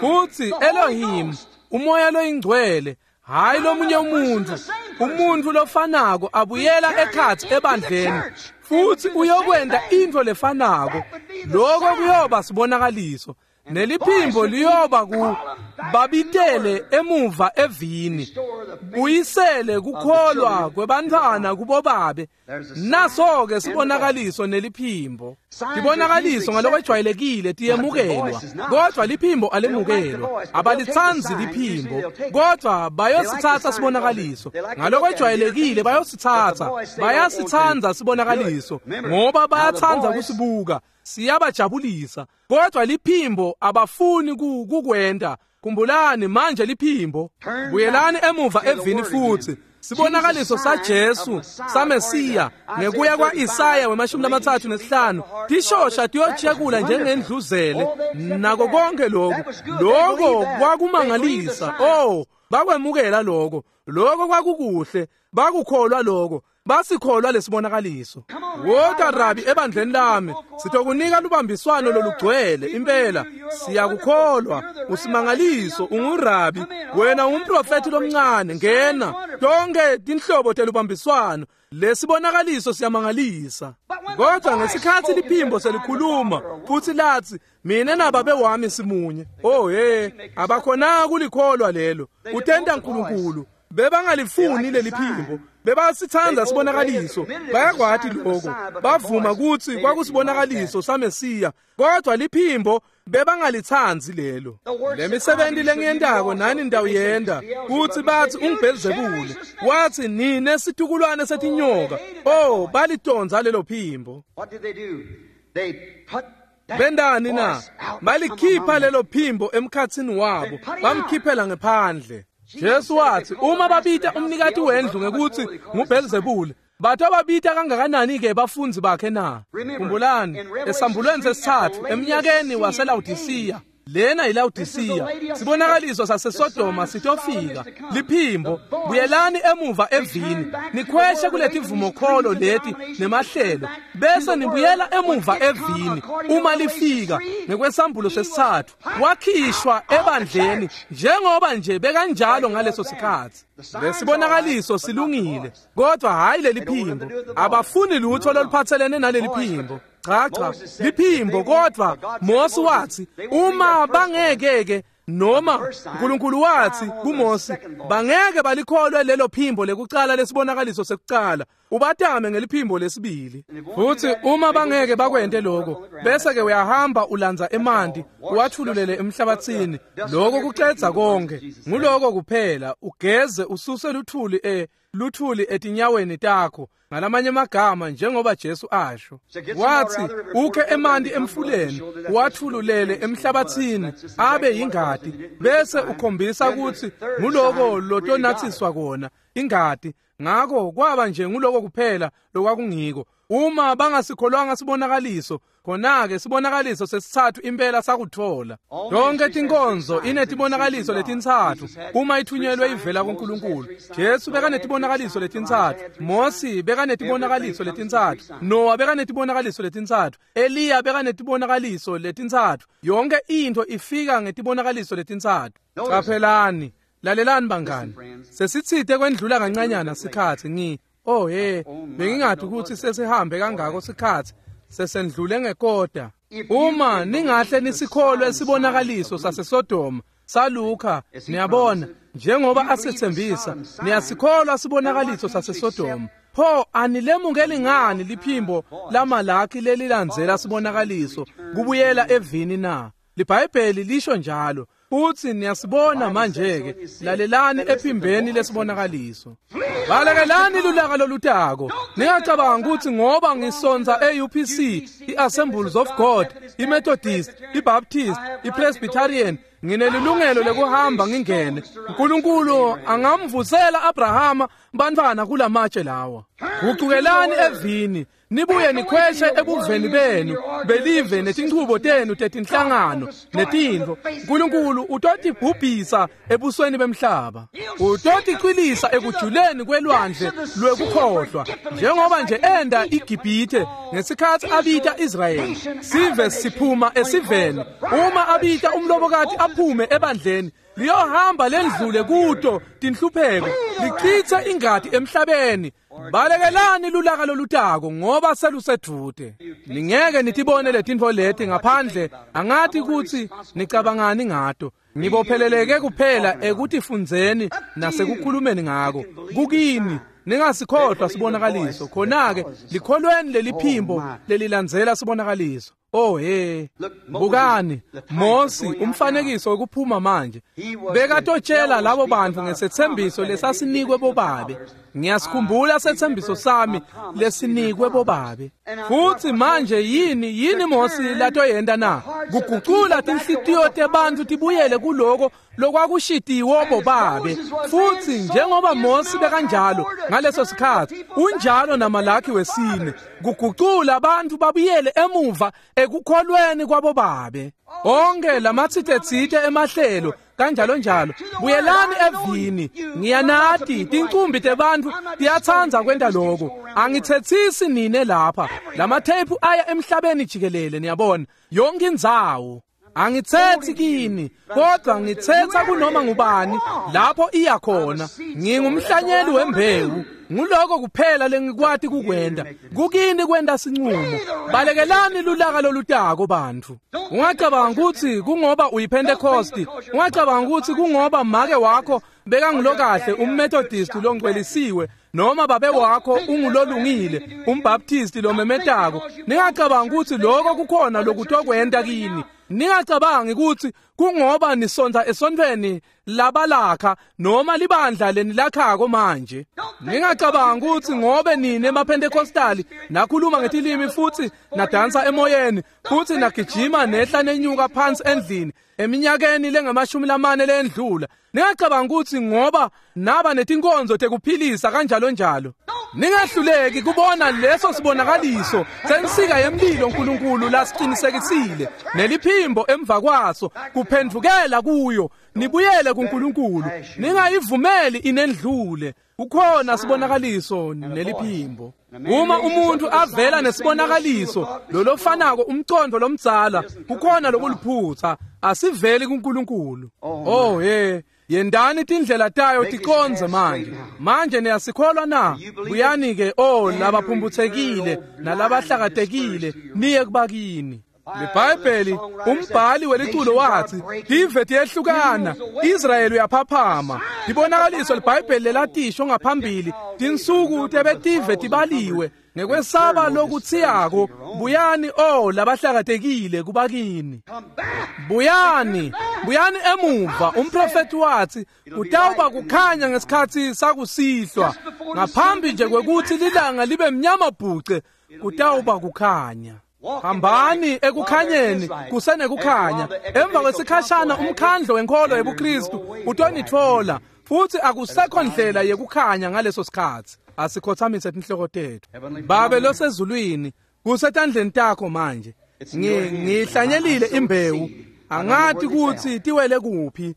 Futhi Elohim, umoya loyingcwele, hayi lomunye umuntu, umuntu lofanako abuyela ekhathi ebandleni, futhi uyokwenta into lefanako. Lokho kuyoba sibonakaliso. Neliphimbo liyoba ku babitele emuva evini, buyisele kukholwa kwebantfwana kubobabe. Naso-ke sibonakaliso neliphimbo. Tibonakaliso ngalokwejwayelekile tiyemukelwa, kodvwa liphimbo alemukelwa. Abalitsandzi liphimbo, kodvwa bayositsatsa sibonakaliso. Ngalokwejwayelekile bayositsatsa, bayasitsandza sibonakaliso, ngoba bayatsandza kusibuka, siyabajabulisa. Kodvwa liphimbo abafuni kukwenta. Khumbulani manje liphimbo. Buyelani emuva evini futhi. Sibonakaliso saJesu saMesiya ngekuya kwa-Isaya we-35 tishosha tiyochekula njengendluzele nako konke lokhu. Lokho kwakumangalisa. Oh, bakwemukela lokho. Lokho kwakukuhle, bakukholwa lokho, basikholwa lesibonakaliso. Wota Rabi ebandleni lami, sitokunika lubambiswano lolugcwele impela. Siyakukholwa, usimangaliso, ungurabi, wena ungumprofethi lomncane, ngena. Tonke tinhlobo telubambiswano, lesibonakaliso siyamangalisa. Kodwa ngesikhathi liphimbo selikhuluma futhi lathi, mina nababe wami simunye. Oh hey, abakhona kulikholwa lelo. Utenta uNkulunkulu. Bebangalifuni leli phimbo, bebasithanda sibonakaliso, bayakwati lokho, bavuma kutsi kwakusibonakaliso saMesiya, kodwa liphimbo bebangalitsandzi lelo. Lemisebenti lengiyentako nani ndawuyenda, kutsi bathi unguBhelzebule, wathi nine situkulwane setinyoka. Oh, balitondza lelo phimbo. Bendani na? Balikhipha lelo phimbo emkhatsini wabo, bamkhiphela ngephandle. Jesu wathi uma babita umnikati wendlu ngekuthi nguBhelzebule, batho babita kangakanani-ke bafundzi bakhe na? Khumbulani, esambulweni sesithathu eminyakeni waseLawodisiya, lena yiLawodisiya, sibonakaliso saseSodoma sitofika. Liphimbo, buyelani emuva evini, nikhweshe kuletivumokholo leti nemahlelo, bese nibuyela emuva evini. Uma lifika ngekwesambulo sesithathu, wakhishwa ebandleni njengoba nje bekanjalo ngaleso sikhathi. Lesibonakaliso silungile, kodwa hayi leli phimbo. Abafuni lutho loluphathelene naleli phimbo. Cha cha, liphimbo. Kodwa Mose wathi uma bangeke-ke, noma uNkulunkulu wathi kuMose, bangeke balikholwe lelo phimbo lekucala lesibonakaliso sekucala, ubatame ngeliphimbo lesibili. Futhi uma bangeke bakwente lokho, bese ke uyahamba ulandza emanti uwathululele emhlabathini. Lokho kucedza konke. Nguloko kuphela, ugeze ususe luthuli luthuli etinyaweni takho. Ngalamanye amagama, njengoba Jesu asho, wathi ukhe emanti emfuleni uwathululele emhlabathini abe yingadi, bese ukhombisa ukuthi nguloko lotonathiswa kona ingadi. Ngakho kwaba nje nguloko kuphela lokwakungiko. Uma bangasikholwanga sibonakaliso, khona-ke sibonakaliso sesithathu impela sakuthola. Yonke tinkonzo inetibonakaliso letintsatfu uma ithunyelwe ivela kuNkulunkulu. Jesu bekanetibonakaliso letintsatfu, Mosi bekanetibonakaliso letintsatfu, Noah bekanetibonakaliso letintsatfu, Eliya bekanetibonakaliso letintsatfu. Yonke intfo ifika ngetibonakaliso letintsatfu. Qaphelani, lalelani bangani, sesitsite kwendlula kancanyana sikhatsi. Oh hey, bengingadi ukuthi sesihambe kangako sikhatsi, sesendlule ngekota. Uma ningahle nisikholwe sibonakaliso saseSodoma saLuka, niyabona, njengoba asethembisa, niyasikholwa sibonakaliso saseSodoma. Pho anilemukeli ngani liphimbo laMalaki lelilandzela sibonakaliso kubuyela evini na? LiBhayibheli lisho njalo. Uthi niyasibona manje-ke, lalelani ephimbeni lesibonakaliso. Balekelani lulaka lolutako. Ningacabanga ukuthi ngoba ngisonza e-UPC, i-Assemblies of God, i-Methodist, i-Baptist, i-Presbyterian, nginelilungelo lekuhamba ngingene. uNkulunkulu angamvusela Abrahama bantwana kulamatshe lawa. Gucukelani evini, nibuye nikhweshe ebuveni benu belive netinchubo tenu tetinhlangano netintfo. uNkulunkulu utotibhubhisa ebusweni bemhlaba, utoticwilisa ekujuleni kwelwandle lwekukhohlwa, njengoba nje enda iGibhithe ngesikhatsi abita Israyeli. Sive siphuma esiveni, uma abita umlobokati aphume ebandleni, Liyohamba lendlule kuto tinhlupheko, lichithe ingati emhlabeni. Balekelani lulaka lolutako ngoba selusedvute. Ningeke nitibone letintfo leti ngaphandle, angathi kutsi nicabangani ngato. Ngibopheleleke kuphela ekutifundzeni nasekukhulumeni ngako. Kukini ningasikhohlwa sibonakaliso. Khona-ke likholweni leliphimbo lelilandzela sibonakaliso. Oh he, bukani Mosi umfanekiso wekuphuma manje bekatotshela labo bantfu ngesethembiso lesasinikwe bobabe. Ngiyasikhumbula sethembiso sami lesinikwe bobabe. Futhi manje yini Mosi latoyenta na? Kugucula tinhlitiyo tebantfu tibuyele kuloko lokwakushitiwo bobabe. Futhi njengoba Mosi bekanjalo ngaleso sikhathi, unjalo naMalaki wesine, kugucula abantu babuyele emuva ekukholweni kwabobabe. Onke lamatsitetsite emahlelo kanjalo njalo, buyelani evini. Ngiyanati tincumbi tebantfu tiyatsandza kwenta lokho. Angithetsisi nine lapha, lamatheyiphu aya emhlabeni jikelele, niyabona, yonke indzawo. Angithetsi kini, kodwa ngithetsa kunoma ngubani lapho iya khona. Ngingumhlanyeli wembewu, nguloko kuphela lengikwati kukwenta. Kukini kwenta sinqumo. Balekelani lulaka lolutako bantfu. Ungacabanga kutsi kungoba uyiPentecost, ungacabanga kutsi kungoba make wakho bekangulokahle umMethodist longcwelisiwe, noma babe wakho ungulolungile umBaptist lomemetako. Ningacabanga kutsi lokho kukhona lokutokwenta kini. Ningacabangi kutsi kungoba nisonta esontfweni labalakha noma libandla lenilakhako manje. Ningacabangi kutsi ngobe nine emaPentecostali nakhuluma ngetilimi futhi nadansa emoyeni futhi nagijima nehla nenyuka phansi endlini eminyakeni lengamashumi lamane lendlula. Ningacabangi kutsi ngoba naba netinkonzo tekuphilisa kanjalo njalo. Ningahluleki kubona leso sibonakaliso sensika yemlilo uNkulunkulu lasiqinisekisile neliphimbo emva kwaso kuphendvukela kuyo, nibuyele kuNkulunkulu. Ningayivumeli inendlule. Kukhona sibonakaliso neliphimbo. Uma umuntu avela nesibonakaliso lolofanako umcondo lomdzala, kukhona lokuliphutha, asiveli kuNkulunkulu. Oh he, yendani tindlela tayo ticonze manje. Manje niyasikholwa na? Buyani ke, oh labaphumbuthekile nalabahlakatekile, niye kubakini. LiBhayibheli umbhali weliculo wathi tive tiyehlukana, Israyeli uyaphaphama. Libonakaliso liBhayibheli lelatisho ngaphambili, tinsuku tebetive tibaliwe ngekwesaba lokutsiyako. Buyani oh labahlakatekile kubakini. Buyani, buyani emuva. Umprofeti wathi kutawuba kukhanya ngesikhathi sakusihlwa, ngaphambi nje kwekuthi lilanga libe mnyama bhuce, kutawuba kukhanya. Hambani ekukhanyeni kusenekukhanya. Emva kwesikhashana umkhandlo wenkolo yebuKristu utonitfola, futhi akusekho ndlela yekukhanya ngaleso sikhathi. Asikhothamise tinhloko tetfu. Babe losezulwini, kusetandleni takho manje. Ngihlanyelile imbewu, angathi kutsi tiwele kuphi.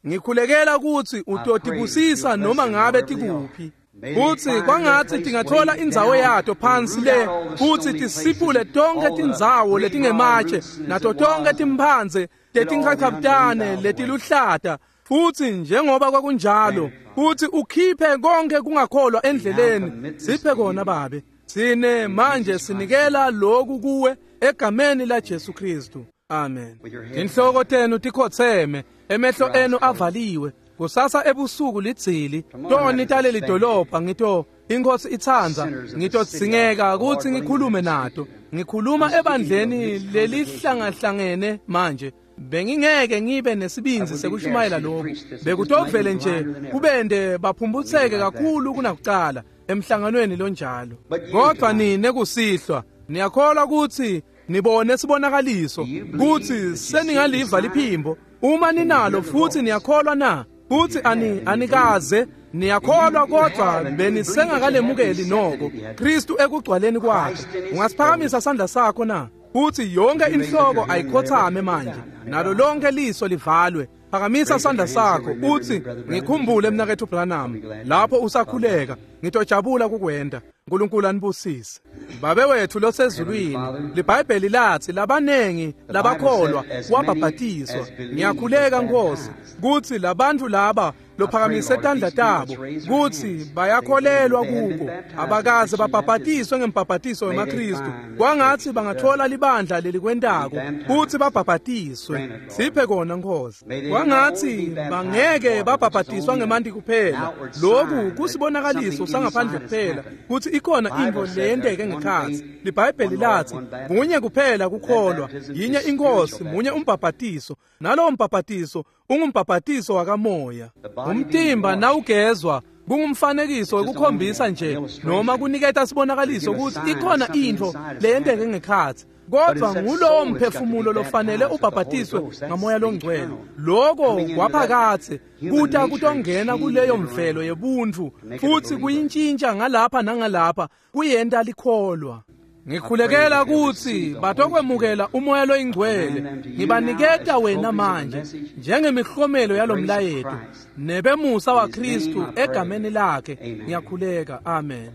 Ngikhulekela kutsi utotibusisa noma ngabe tikuphi. Futsi kwangatsi tingathola indzawo yato phansi le, futsi tisiphule tonke tindzawo letingematshe nato tonke timphandze tetinkhakhabutane letiluhlata, futsi njengoba kwakunjalo, futsi ukhiphe konke kungakholwa endleleni. Siphe kona Babe. Sine manje sinikela lokhu kuwe egameni la Jesu Kristu. Amen. Tinhloko tenu tikhotseme, emehlo enu avaliwe. Kusasa ebusuku lidzili toni taleli dolobha ngito inkosi itsandza ngitodzingeka kutsi ngikhulume nato. Ngikhuluma ebandleni lelihlangahlangene manje. Bengingeke ngibe nesibindzi sekushumayela lokhu, bekutovele nje kubende baphumbutseke kakhulu kunakucala emhlanganweni lonjalo. Kodwa nine kusihlwa niyakholwa kutsi nibone sibonakaliso, kutsi seningaliva liphimbo uma ninalo, futhi niyakholwa na? Futhi anikaze niyakholwa, kodwa benisengakalemukeli noko Kristu ekugcwaleni kwakhe. Ungasiphakamisa sandla sakho na? Futhi yonke inhloko ayikhothame manje, nalo lonke liso livalwe. Phakamisa sandla sakho uthi, ngikhumbule mnaketfu Branham, lapho usakhuleka. Ngitojabula kukwenta. Nkulunkulu anibusise. Babe wethu losezulwini, liBhayibheli lathi labanengi labakholwa wabhabhatiswa. Ngiyakhuleka Nkosi kutsi labantu laba lophakamise tandla tabo kutsi bayakholelwa kuko, abakaze babhabhatiswe ngembhabhatiso wemaKristu. Kwangatsi bangatfola libandla lelikwentako kutsi babhabhatiswe. Siphe kona Nkosi. Kwangatsi bangeke babhabhatiswa ngemanti kuphela. Loku kusibonakaliso sangaphandle kuphela kutsi ikhona intfo leyenteke ngekhatsi. LiBhayibheli lathi munye kuphela kukholwa, yinye iNkosi, munye umbhabhatiso, nalowo mbhabhatiso ungumbhabhatiso wakamoya. Umtimba nawugezwa kungumfanekiso wekukhombisa nje noma kuniketa sibonakaliso kutsi ikhona intfo leyenteke ngekhatsi, kodvwa ngulowo mphefumulo lofanele ubhabhatiswe ngamoya longcwele. Loko kwaphakatse kuta kutongena kuleyo mvelo yebuntfu futsi kuyintshintsha ngalapha nangalapha, kuyenta likholwa. Ngikhulekela kutsi batokwemukela umoya loyingcwele. Ngibaniketa wena manje njengemihlomelo yalomlayeto nebemusa waKristu egameni lakhe ngiyakhuleka, amen.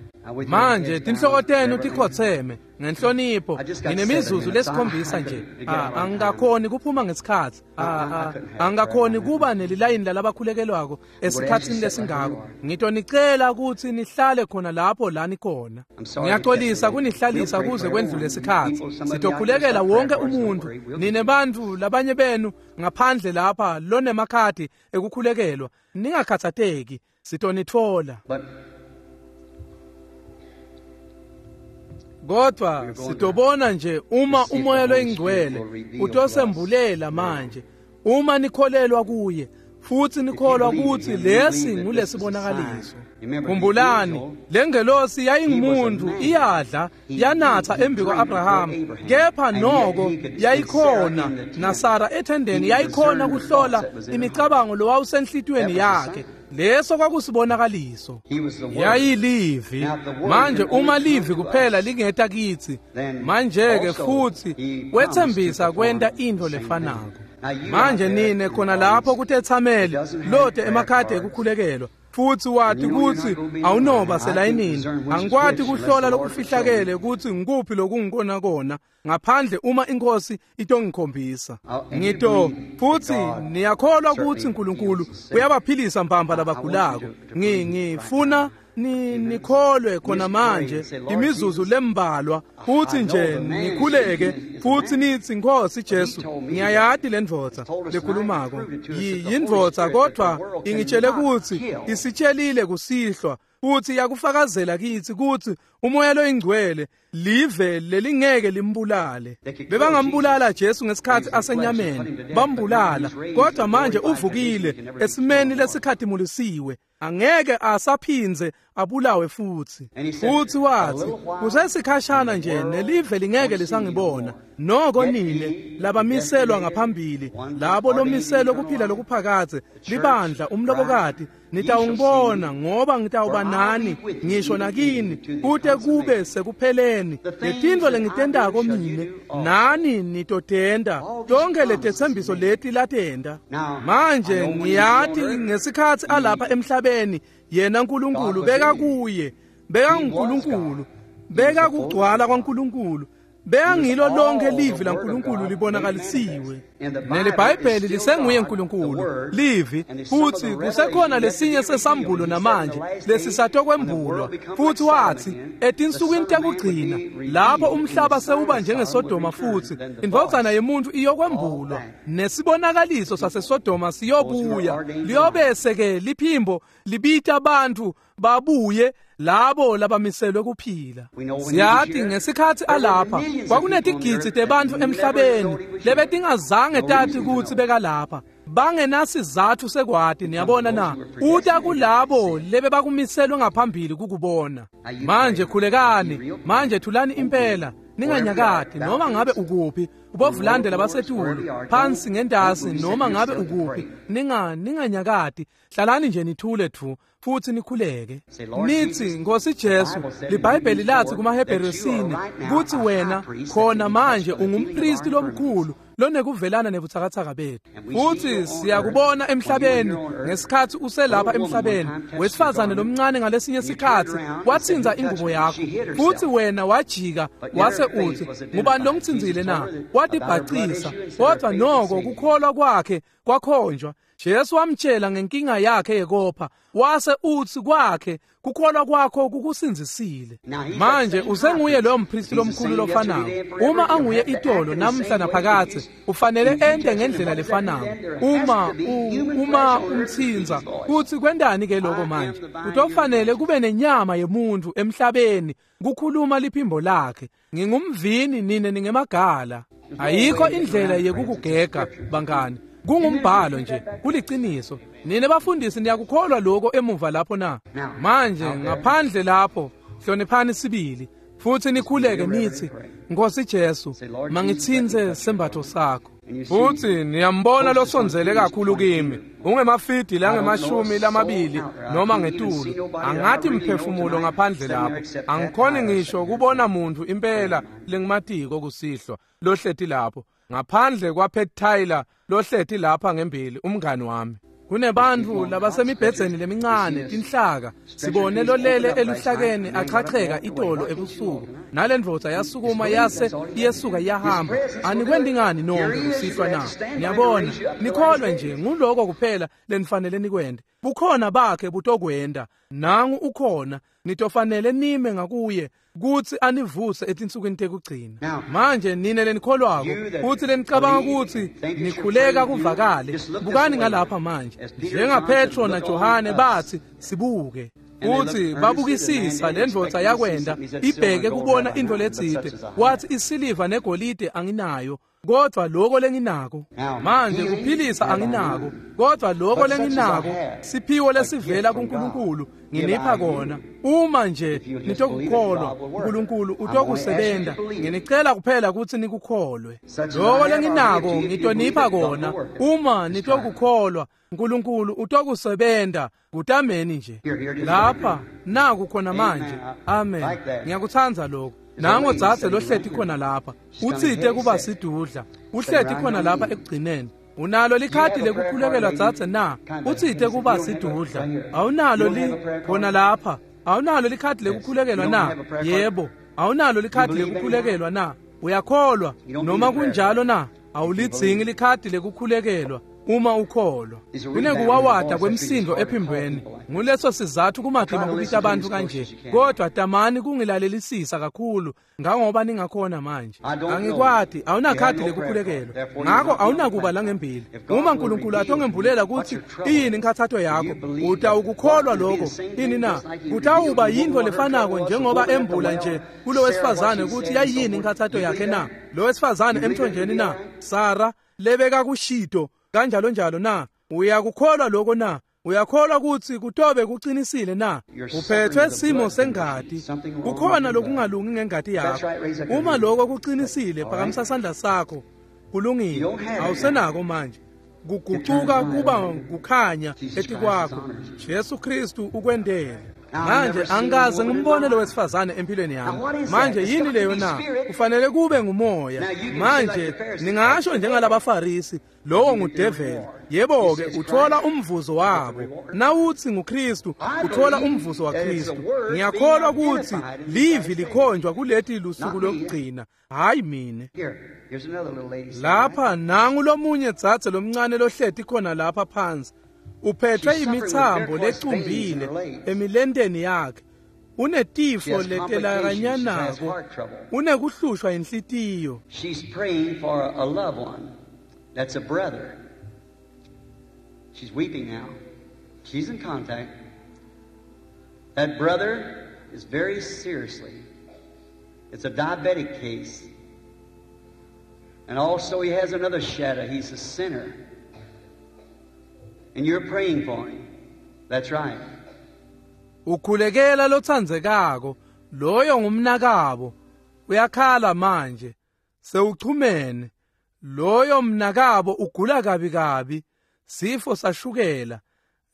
Manje tinhloko tenu tikhotseme ngenhlonipho. Nginemizuzu lesikhombisa nje. Angikakhoni kuphuma ngesikhatsi. Angikakhoni kuba nelilayini lalabakhulekelwako esikhatsini lesingako. Ngitonicela kutsi nihlale khona lapho la nikhona. Ngiyaxolisa kunihlalisa kuze kwendlule isikhatsi. Sitokhulekela wonke umuntu. Nine bantfu labanye benu ngaphandle lapha lonemakhadi ekukhulekelwa, ningakhathateki, sitonitfola. Kodwa sitobona nje uma umoya loyingcwele utosembulela manje, uma nikholelwa kuye futsi nikholwa kutsi lesi ngulesibonakaliso. Khumbulani, lengelosi yayingumuntu, iyadla yanatha embi kwa-Abrahama, kepha noko yayikhona naSara ethendeni, yayikhona kuhlola imicabango lowawusenhlitiyweni yakhe. Leso kwakusibonakaliso. Yayilivi. Manje uma livi kuphela lingeta kitsi, manje-ke futsi wetsembisa kwenta intfo lefanako. Manje nine khona lapho kutetsameli lote emakhadi ekukhulekelwa, futsi wati kutsi awunoba selayinini. Angikwati kuhlola lokufihlakele kutsi ngikuphi lokungikona kona ngaphandle uma iNkosi itongikhombisa. Ngito futsi niyakholwa kutsi uNkulunkulu uyabaphilisa mbamba labagulako. Ngifuna nikholwe khona manje imizuzu lembalwa, futhi nje nikhuleke futhi nithi, Nkosi Jesu, ngiyayati le ndvodza lekhulumako yindvodza, kodwa ingitshele kutsi isitshelile kusihlwa futhi yakufakazela kitsi kutsi umoya loyingcwele live lelingeke limbulale. Bebangambulala Jesu ngesikhatsi asenyameni, bambulala, kodwa manje uvukile esimeni lesikhatimulisiwe, angeke asaphindze abulawe futsi. Futsi wathi, kusesikhashana nje nelive lingeke lisangibona, noko nine labamiselwa ngaphambili, labo lomiselwe kuphila lokuphakadze, libandla, umlobokati, nitawungibona ngoba ngitawuba nani ngisho nakini kute kube sekupheleni. Letintfo lengitentako mine nani nitotenta, tonke letetsembiso leti latenta. Manje ngiyati ngesikhatsi alapha emhlabeni yena uNkulunkulu bekakuye, bekanguNkulunkulu, bekakugcwala kwaNkulunkulu, bekangilo lonke livi laNkulunkulu libonakalisiwe. NeliBhayibheli lisenguye uNkulunkulu, livi, futhi kusekhona lesinye sesambulo namanje lesisatokwembulwa. Futhi wathi etinsukwini tekugcina lapho umhlaba sewuba njengeSodoma futhi indvodzana yemuntu iyokwembulwa, nesibonakaliso saseSodoma siyobuya, liyobese-ke liphimbo libita abantu babuye labo labamiselwe kuphila. Siyati ngesikhatsi alapha kwakunetigidzi tebantfu emhlabeni lebetingazange tati kutsi bekalapha, bangenasizatfu sekwati. Niyabona na? Uta kulabo lebebakumiselwe ngaphambili kukubona. Manje khulekani, manje thulani impela, ninganyakati noma ngabe ukuphi, ubovulande labasetulu phansi ngentasi noma ngabe ukuphi, ninganyakati, hlalani nje nithule thu futhi nikhuleke. Nithi, Nkosi Jesu, liBhayibheli lathi kumaHebheru 4 kutsi wena khona manje ungumpristi lomkhulu lonekuvelana nebutsakatsaka bethu. Futhi siyakubona emhlabeni ngesikhathi uselapha emhlabeni, wesifazane lomncane ngalesinye isikhathi wathinza ingubo yakho, futhi wena wajika wase uthi, ngubani longithinzile na? Watibhacisa, kodwa noko kukholwa kwakhe kwakhonjwa. Jesu wamtshela ngenkinga yakhe yekopha, wase uthi kwakhe kukholwa kwakho kukusindzisile. Manje usenguye loyo mpristi lomkhulu lofanako. Uma anguye itolo namhla naphakathe, ufanele ente ngendlela lefanako. Uma umthinza kuthi kwendani ke lokho manje, utofanele kube nenyama yemuntu emhlabeni kukhuluma liphimbo lakhe. Ngingumvini, nine ningemagala. Ayikho indlela yekukugega bangani. Kungumbhalo nje, kuliciniso. Nine bafundisi niyakukholwa lokho emuva lapho na? Manje ngaphandle lapho hloniphani sibili futhi nikhuleke nithi, Nkosi Jesu, mangithinze sembatho sakho. Futhi niyambona losondzele kakhulu kimi, ungemafidi langemashumi lamabili noma ngetulu. Angathi mphefumulo ngaphandle lapho, angikhoni ngisho kubona muntu impela lengimatiko kusihlwa lohleti lapho, ngaphandle kwaPet Tyler lohleti lapha ngembili, umngani wami. Kunebantu labasemibhedzeni lemincane tinhlaka, sibone lolele eluhlakeni achacheka itolo ebusuku, nalendvodza yasukuma yase iyesuka iyahamba. Anikwendi ngani nonke kusihlwa na? Niyabona, nikholwe nje, nguloko kuphela lenifanele nikwende. Bukhona bakhe butokwenda, nangu ukhona, nitofanele nime ngakuye kuthi anivuse etinsukwini tekugcina. Manje nine lenikholwako futhi lenicabanga ukuthi nikhuleka kuvakale, bukani ngalapha manje, njengaPetro naJohane bathi sibuke. Uthi babukisisa lendvodza yakwenda ibheke kubona into letsite, wathi isiliva negolide anginayo, kodwa lokho lenginako manje kuphilisa anginako, kodwa lokho lenginako siphiwo lesivela kuNkulunkulu nginipha kona. Uma nje nitokukholwa, uNkulunkulu utokusebenta. Nginicela kuphela ukuthi nikukholwe. Lokho lenginako ngitonipha kona, uma nitokukholwa, uNkulunkulu utokusebenta. Kutameni nje lapha naku khona manje. Amen. Ngiyakuthanda lokho. Nango dzadze lohleti khona lapha, utsite kuba sidudla, uhleti khona lapha ekugcineni. Unalo likhadi lekukhulekelwa dzadze na? Utsite kuba sidudla. Awunalo li khona lapha. Awunalo likhadi lekukhulekelwa na? Yebo. Awunalo likhadi lekukhulekelwa na? Uyakholwa noma kunjalo na? Awulidzingi likhadi lekukhulekelwa uma ukholwa. Kunekuwawada kwemsindo ephimbweni, nguleso sizathu kumatima kubita abantu kanje, kodwa tamani kungilalelisisa kakhulu ngangoba ningakhona manje. Angikwati, awunakhadi lekukhulekelwa, ngakho awunakuba langembili. Uma uNkulunkulu atongembulela ukuthi iyini inkathatho yakho, utawukukholwa lokho ini na? Kutawuba yinto lefanako njengoba embula nje kulo wesifazane ukuthi yayini inkathatho yakhe na? Lo wesifazane emthonjeni na? Sara lebeka kushito kanjalo njalo na? Uyakukholwa lokho na? Uyakholwa ukuthi kutobe kuqinisile na? Uphethwe simo sengati, kukhona lokungalungi ngengati yakho. Uma lokho kuqinisile, phakamisa sandla sakho. Kulungile, awusenako manje. Kugucuka kuba kukhanya etikwakho. Jesu Kristu ukwendele. Manje angikaze ngimbone lo wesifazane empilweni yami. Manje yini leyo na? Kufanele kube ngumoya. Manje ningasho njengalabaFarisi, lowo ngudeveli. Yebo ke, uthola umvuzo wabo. Nawuthi nguKristu, uthola umvuzo waKristu. Ngiyakholwa ukuthi livi likhonjwa kuleti lusuku lokugcina, hayi mine. Lapha nangu lomunye dzadze lomncane lohleti khona lapha phansi. Uphethwe imithambo lecumbile emilenteni yakhe. Unetifo letelakanyanako, unekuhlushwa inhlitiyo. She's praying for a loved one. That's a brother. She's weeping now. She's in contact. That brother is very seriously. It's a diabetic case. And also he has another shadow. He's a sinner. And you're praying for him. That's right. Ukhulekela lotsandzekako, loyo ngumnakabo. Uyakhala manje. Sewuchumene. Loyo mnakabo ugula kabi kabi, sifo sashukela.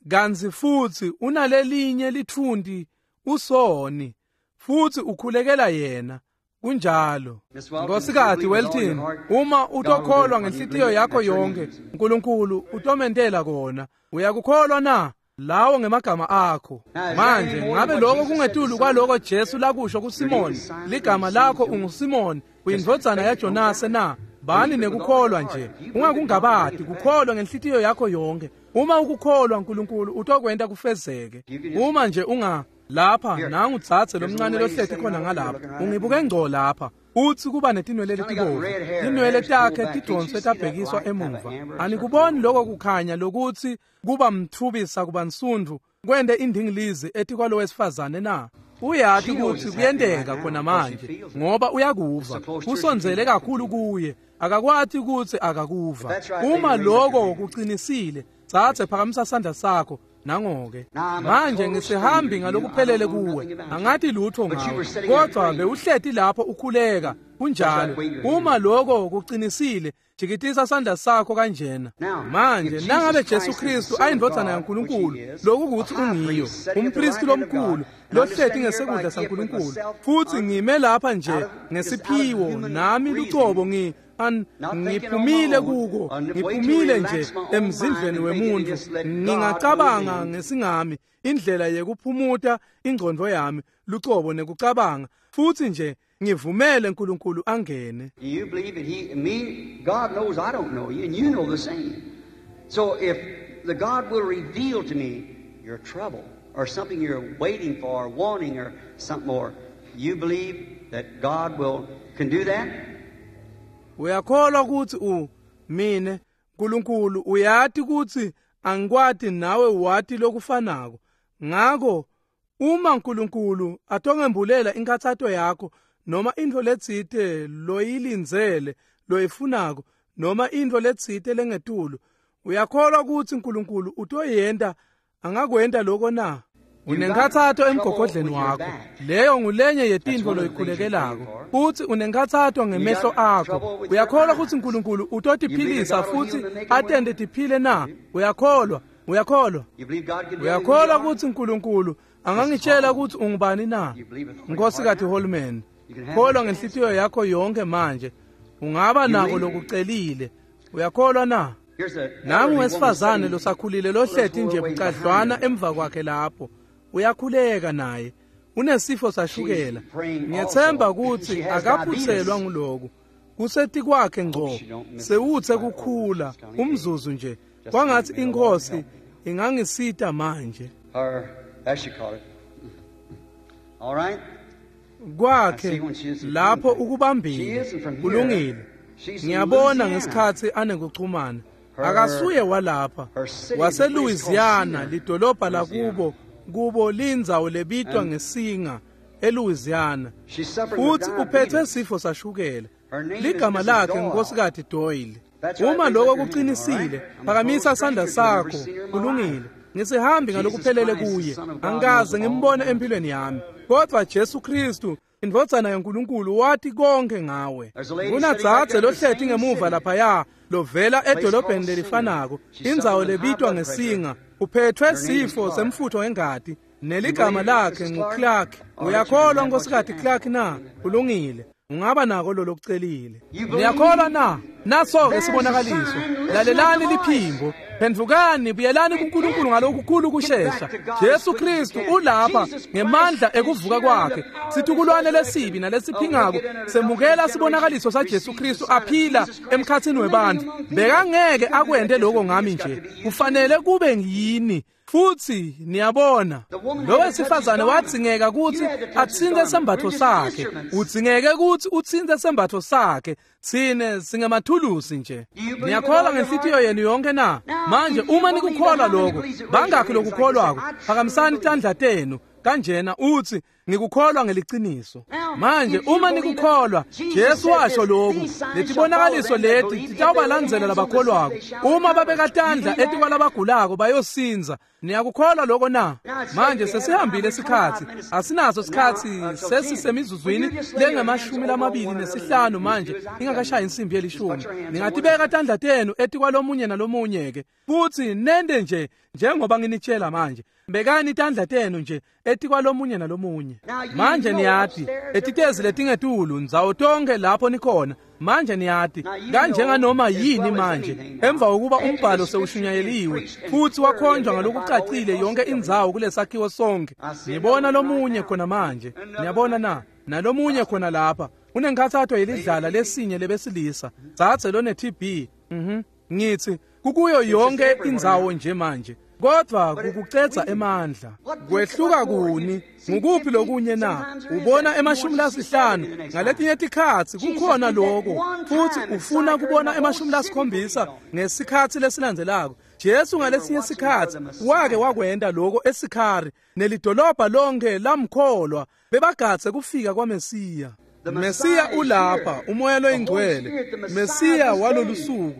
Kantsi futhi unalelinye litfunti usoni, futhi ukhulekela yena. Kunjalo. Nkosikazi Welton, uma utokholwa ngenhlitiyo yakho yonke, uNkulunkulu utomentela kona. Uyakukholwa na? Lawo ngemagama akho. Manje ngabe lokho kungetulu kwaloko Jesu lakusho kuSimoni, ligama lakho unguSimoni, uyindvodzana yaJonase na? Bani nekukholwa nje, ungakungabati, kukholwa ngenhlitiyo yakho yonke. Uma ukukholwa uNkulunkulu utokwenta kufezeke. Uma nje unga lapha nangu dzadze lomncane lohleti khona ngalapha, ungibuke ngco lapha, utsi kuba netinwele letibovu, tinwele takhe tidonswe tabhekiswa emuva. Anikuboni lokho kukhanya lokutsi kuba mthubisa kuba nsundvu kwente indingilizi etikwalo wesifazane na? Uyati kutsi kuyenteka khona manje ngoba uyakuva, kusondzele kakhulu kuye, akakwati kutsi akakuva. Uma lokho kucinisile, dzadze phakamisa sandla sakho. Nangoke manje ngisihambi ngalokuphelele kuwe, angati lutho ngawe, kodwa bewuhleti lapho ukhuleka. Kunjalo. Uma lokho kucinisile, jikitisa sandla sakho kanjena. Manje nangabe Jesu Kristu ayindvodzana yaNkulunkulu, lokukutsi ungiyo, umpristi lomkhulu lohleti ngesekudla saNkulunkulu, futsi ngime lapha nje ngesiphiwo nami lucobo ngiphumile kuko, ngiphumile nje emzindlweni wemuntu, ngingacabanga ngesingami indlela yekuphumuta ingqondo yami lucobo nekucabanga, futsi nje ngivumele uNkulunkulu angene. You believe that he, me, God knows I don't know you, and you know the same. So if the God will reveal to me your trouble or something you're waiting for, or wanting, or something more, you believe that God will can do that? Uyakholwa kutsi mine uNkulunkulu uyati kutsi angikwati nawe wati lokufanako. Ngako uma uNkulunkulu atongembulela inkathato yakho noma intfo letsite loyilindzele loyifunako noma intfo letsite lengetulu, uyakholwa kutsi uNkulunkulu utoyenta, angakwenta lokho na? Unenkhathato emgogodleni wakho, leyo ngulenye yetintfo loyikhulekelako. Futsi unenkhathato ngemehlo akho, uyakholwa kutsi uNkulunkulu utotiphilisa futsi atente tiphile na? Uyakholwa? Uyakholwa? Uyakholwa kutsi uNkulunkulu angangitshela kutsi ungubani na? Nkosikazi Holman, kholwa ngenhlitiyo yakho yonke manje, ungaba nako lokucelile. Uyakholwa na? Nangu wesifazane losakhulile lohleti nje bucadlwana emva kwakhe lapho, uyakhuleka naye, unesifo sashukela. Ngiyethemba kutsi akaphutselwa nguloku, kusetikwakhe ngco, sewutse kukhula umzuzu nje. Kwangatsi inkosi ingangisita manje. Kwakhe lapho ukubambile, kulungile. Ngiyabona ngesikhatsi anekuchumana, akasuye walapha, waseLouisiana, lidolobha lakubo kubo lindzawo lebitwa ngeSinga eLouisiana. Futsi uphethe sifo sashukela. Ligama lakhe Nkosikazi Doyle. Uma lokho kuqinisile, phakamisa sandla sakho. Kulungile. Ngisihambi ngalokuphelele kuye, angikaze ngimbone empilweni yami, kodwa Jesu Kristu indvodzana yaNkulunkulu wati konke ngawe. Kunadzadze lohleti ngemuva laphaya lovela edolobheni lelifanako, indzawo lebitwa ngeSinga, uphethwe sifo semfutho wengati, neligama lakhe nguClark. Uyakholwa Nkosikazi Clark na? Kulungile, ungaba nako lo lokucelile. Niyakholwa na? Naso-ke sibonakaliso. Lalelani liphimbo, phendvukani, buyelani kuNkulunkulu ngalokukhulu kushesha. Jesu Kristu ulapha ngemandla ekuvuka kwakhe. Situkulwane lesibi nalesiphingako semukela sibonakaliso saJesu Kristu aphila emkhatsini webantfu. Bekangeke akwente lokho ngami nje, kufanele kube yini. Futsi niyabona, lo wesifazane wadzingeka kutsi atsintse sembatfo sakhe, udzingeke kutsi utsintse sembatfo sakhe. Tsine singemathulusi nje. Niyakholwa ngenhlitiyo yenu yonke na? Manje uma nikukholwa lokho, bangakhi lokukholwako? Phakamisani tandla tenu kanjena utsi ngikukholwa ngeliciniso. Manje uma nikukholwa, Jesu washo lokhu, letibonakaliso leti titawubalandzela labakholwako. Uma babeka tandla etikwalabagulako bayosinza. Niyakukholwa lokho na? Manje sesihambile isikhatsi, asinaso sikhatsi, sesisemizuzwini lengama-25 manje ingakashayi insimbi yelishumi. Ningatibeka tandla tenu etikwalomunye nalomunye ke, futsi nente nje njengoba nginitshela manje. Bekani tandla tenu nje etikwalomunye nalomunye. Manje niyati etitezi letingetulu ndzawo tonke lapho nikhona. Manje niyati kanjenganoma yini manje emva kokuba umbhalo sewushunyayeliwe futhi wakhonjwa ngalokucacile yonke indzawo kulesakhiwo sonke. Ngibona lomunye khona manje, niyabona na? Nalomunye khona lapha unenkhathato yelidlala lesinye lebesilisa, dzadze lone TB. Ngithi kukuyo yonke indzawo nje manje, kodwa kukucedza emandla. Kwehluka kuni? Ngukuphi lokunye na? Ubona 50 ngaletinye tikhatsi kukhona lokho, futhi ufuna kubona 70 ngesikhatsi lesilandzelako. Jesu ngalesinye sikhatsi wake wakwenta lokho eSikhari, nelidolobha lonke lamkholwa, bebagadze kufika kwaMesiya. Mesiya ulapha, umoya loyingcwele, Mesiya walolusuku,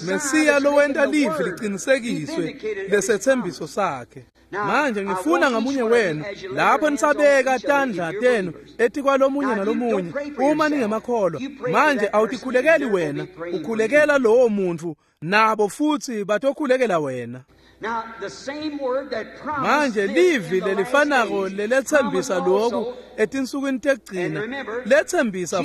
Mesiya lowenta livi liqinisekiswe lesethembiso sakhe. Manje ngifuna ngamunye wenu lapho nisabeka tandla tenu etikwalomunye nalomunye, uma ningemakholwa. Manje awutikhulekeli wena, ukhulekela lowo muntu, nabo futhi batokhulekela wena. Manje livi lelifanako lelethembisa lokhu etinsukwini tekugcina lethembisa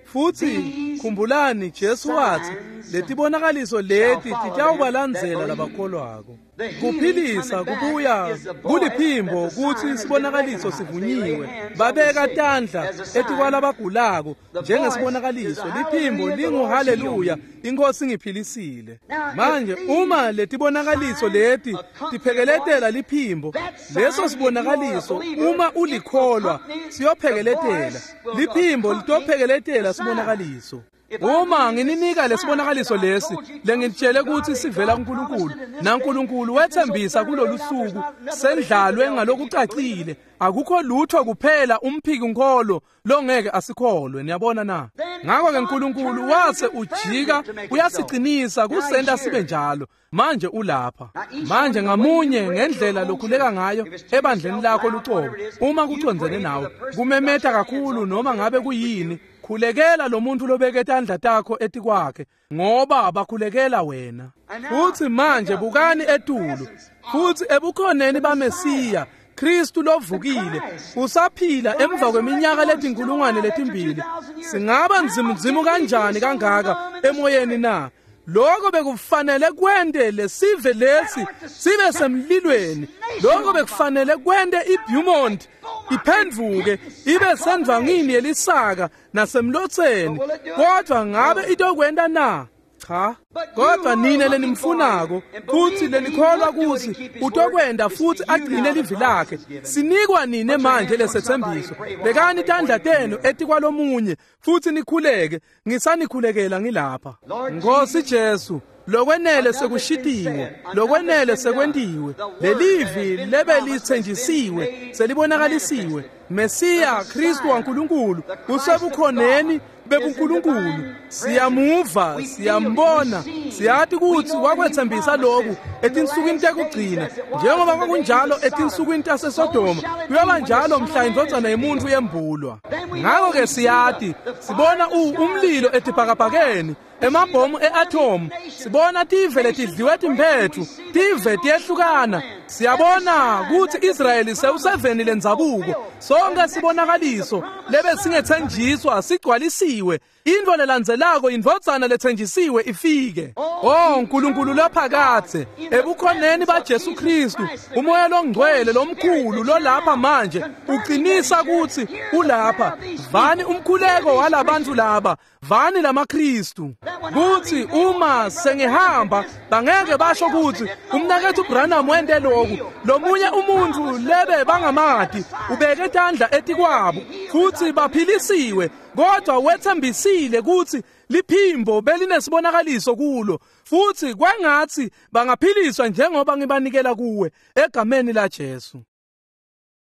futhi khumbulani Jesu wathi letibonakaliso leti titawubalandzela labakholwako. Kuphilisa kubuya kuliphimbo kuthi sibonakaliso sivunyiwe. Babeka tandla etikwalabagulako njengesibonakaliso. Liphimbo linguhaleluya, inkosi ngiphilisile. Manje uma letibonakaliso leti tiphekeletela liphimbo, leso sibonakaliso uma ulikholwa siyophekeletela liphimbo, litophekeletela sibonakaliso. Uma ngininika lesibonakaliso lesi lengitshele ukuthi sivela kuNkulunkulu, naNkulunkulu wethembisa kulolu suku sendlalwe ngalokucacile, akukho lutho kuphela umphiki nkholo longeke asikholwe. Niyabona na? Ngakho ke uNkulunkulu wase ujika uyasiqinisa kusenta sibe njalo. Manje ulapha. Manje ngamunye ngendlela lokhuleka ngayo ebandleni lakho lucobo, uma kucondzene nawe kumemeta kakhulu noma ngabe kuyini, khulekela lo muntu lobeke tandla takho etikwakhe, ngoba bakhulekela wena. Futhi manje bukani etulu, futhi ebukhoneni baMesiya Kristu lovukile usaphila emva kweminyaka letinkulungwane letimbili. Singaba nzimunzimu kanjani kangaka emoyeni na? Lokho bekufanele kwente lesive lesi sibe semlilweni. Lokho bekufanele kwente iBeaumont iphenduke ibe sendvangini yelisaka nasemlotseni. Kodwa ngabe itokwenta na? Cha. Kodwa nina lenimfunako futhi lenikholwa kuthi utokwenda futhi agcine livi lakhe, sinikwa nine manje lesethembiso. Bekani tandla tenu etikwalomunye futhi nikhuleke. Ngisanikhulekela ngilapha. Nkosi Jesu, lokwenele sekushitiwe, lokwenele sekwentiwe. Lelivi lebelithenjisiwe selibonakalisiwe. Mesiya Kristu waNkulunkulu usebukhoneni bebuNkulunkulu. Siyamuva, siyambona, siyati ukuthi wakwethembisa lokhu etinsukwini tekugcina. Njengoba kwakunjalo etinsukwini taseSodoma, kuyoba njalo mhla indvodzana yemuntu yembulwa. Ngakho-ke siyati, sibona umlilo etibhakabhakeni, emabhomu eatomu, sibona tive letidliwe timphethu, tive tiyehlukana. Siyabona ukuthi Israyeli sewuseveni lendzabuko. Sonke sibonakaliso lebe singethenjiswa sigcwalisiwe. Into lelandzelako indvodzana lethenjisiwe ifike. Oh Nkulunkulu laphakathe, ebukhoneni baJesu Kristu, umoya longcwele lomkhulu lolapha manje uqinisa ukuthi ulapha. Vani umkhuleko walabantu laba, vani lamaKristu, kuthi uma sengihamba bangeke basho ukuthi umnakethu Branham wente lokhu, lomunye umuntu lebe bangamati ubeke tandla etikwabo futhi baphilisiwe, kodwa wethembisile ukuthi liphimbo belinesibonakaliso kulo, futhi kwangathi bangaphiliswa njengoba ngibanikela kuwe egameni la Jesu.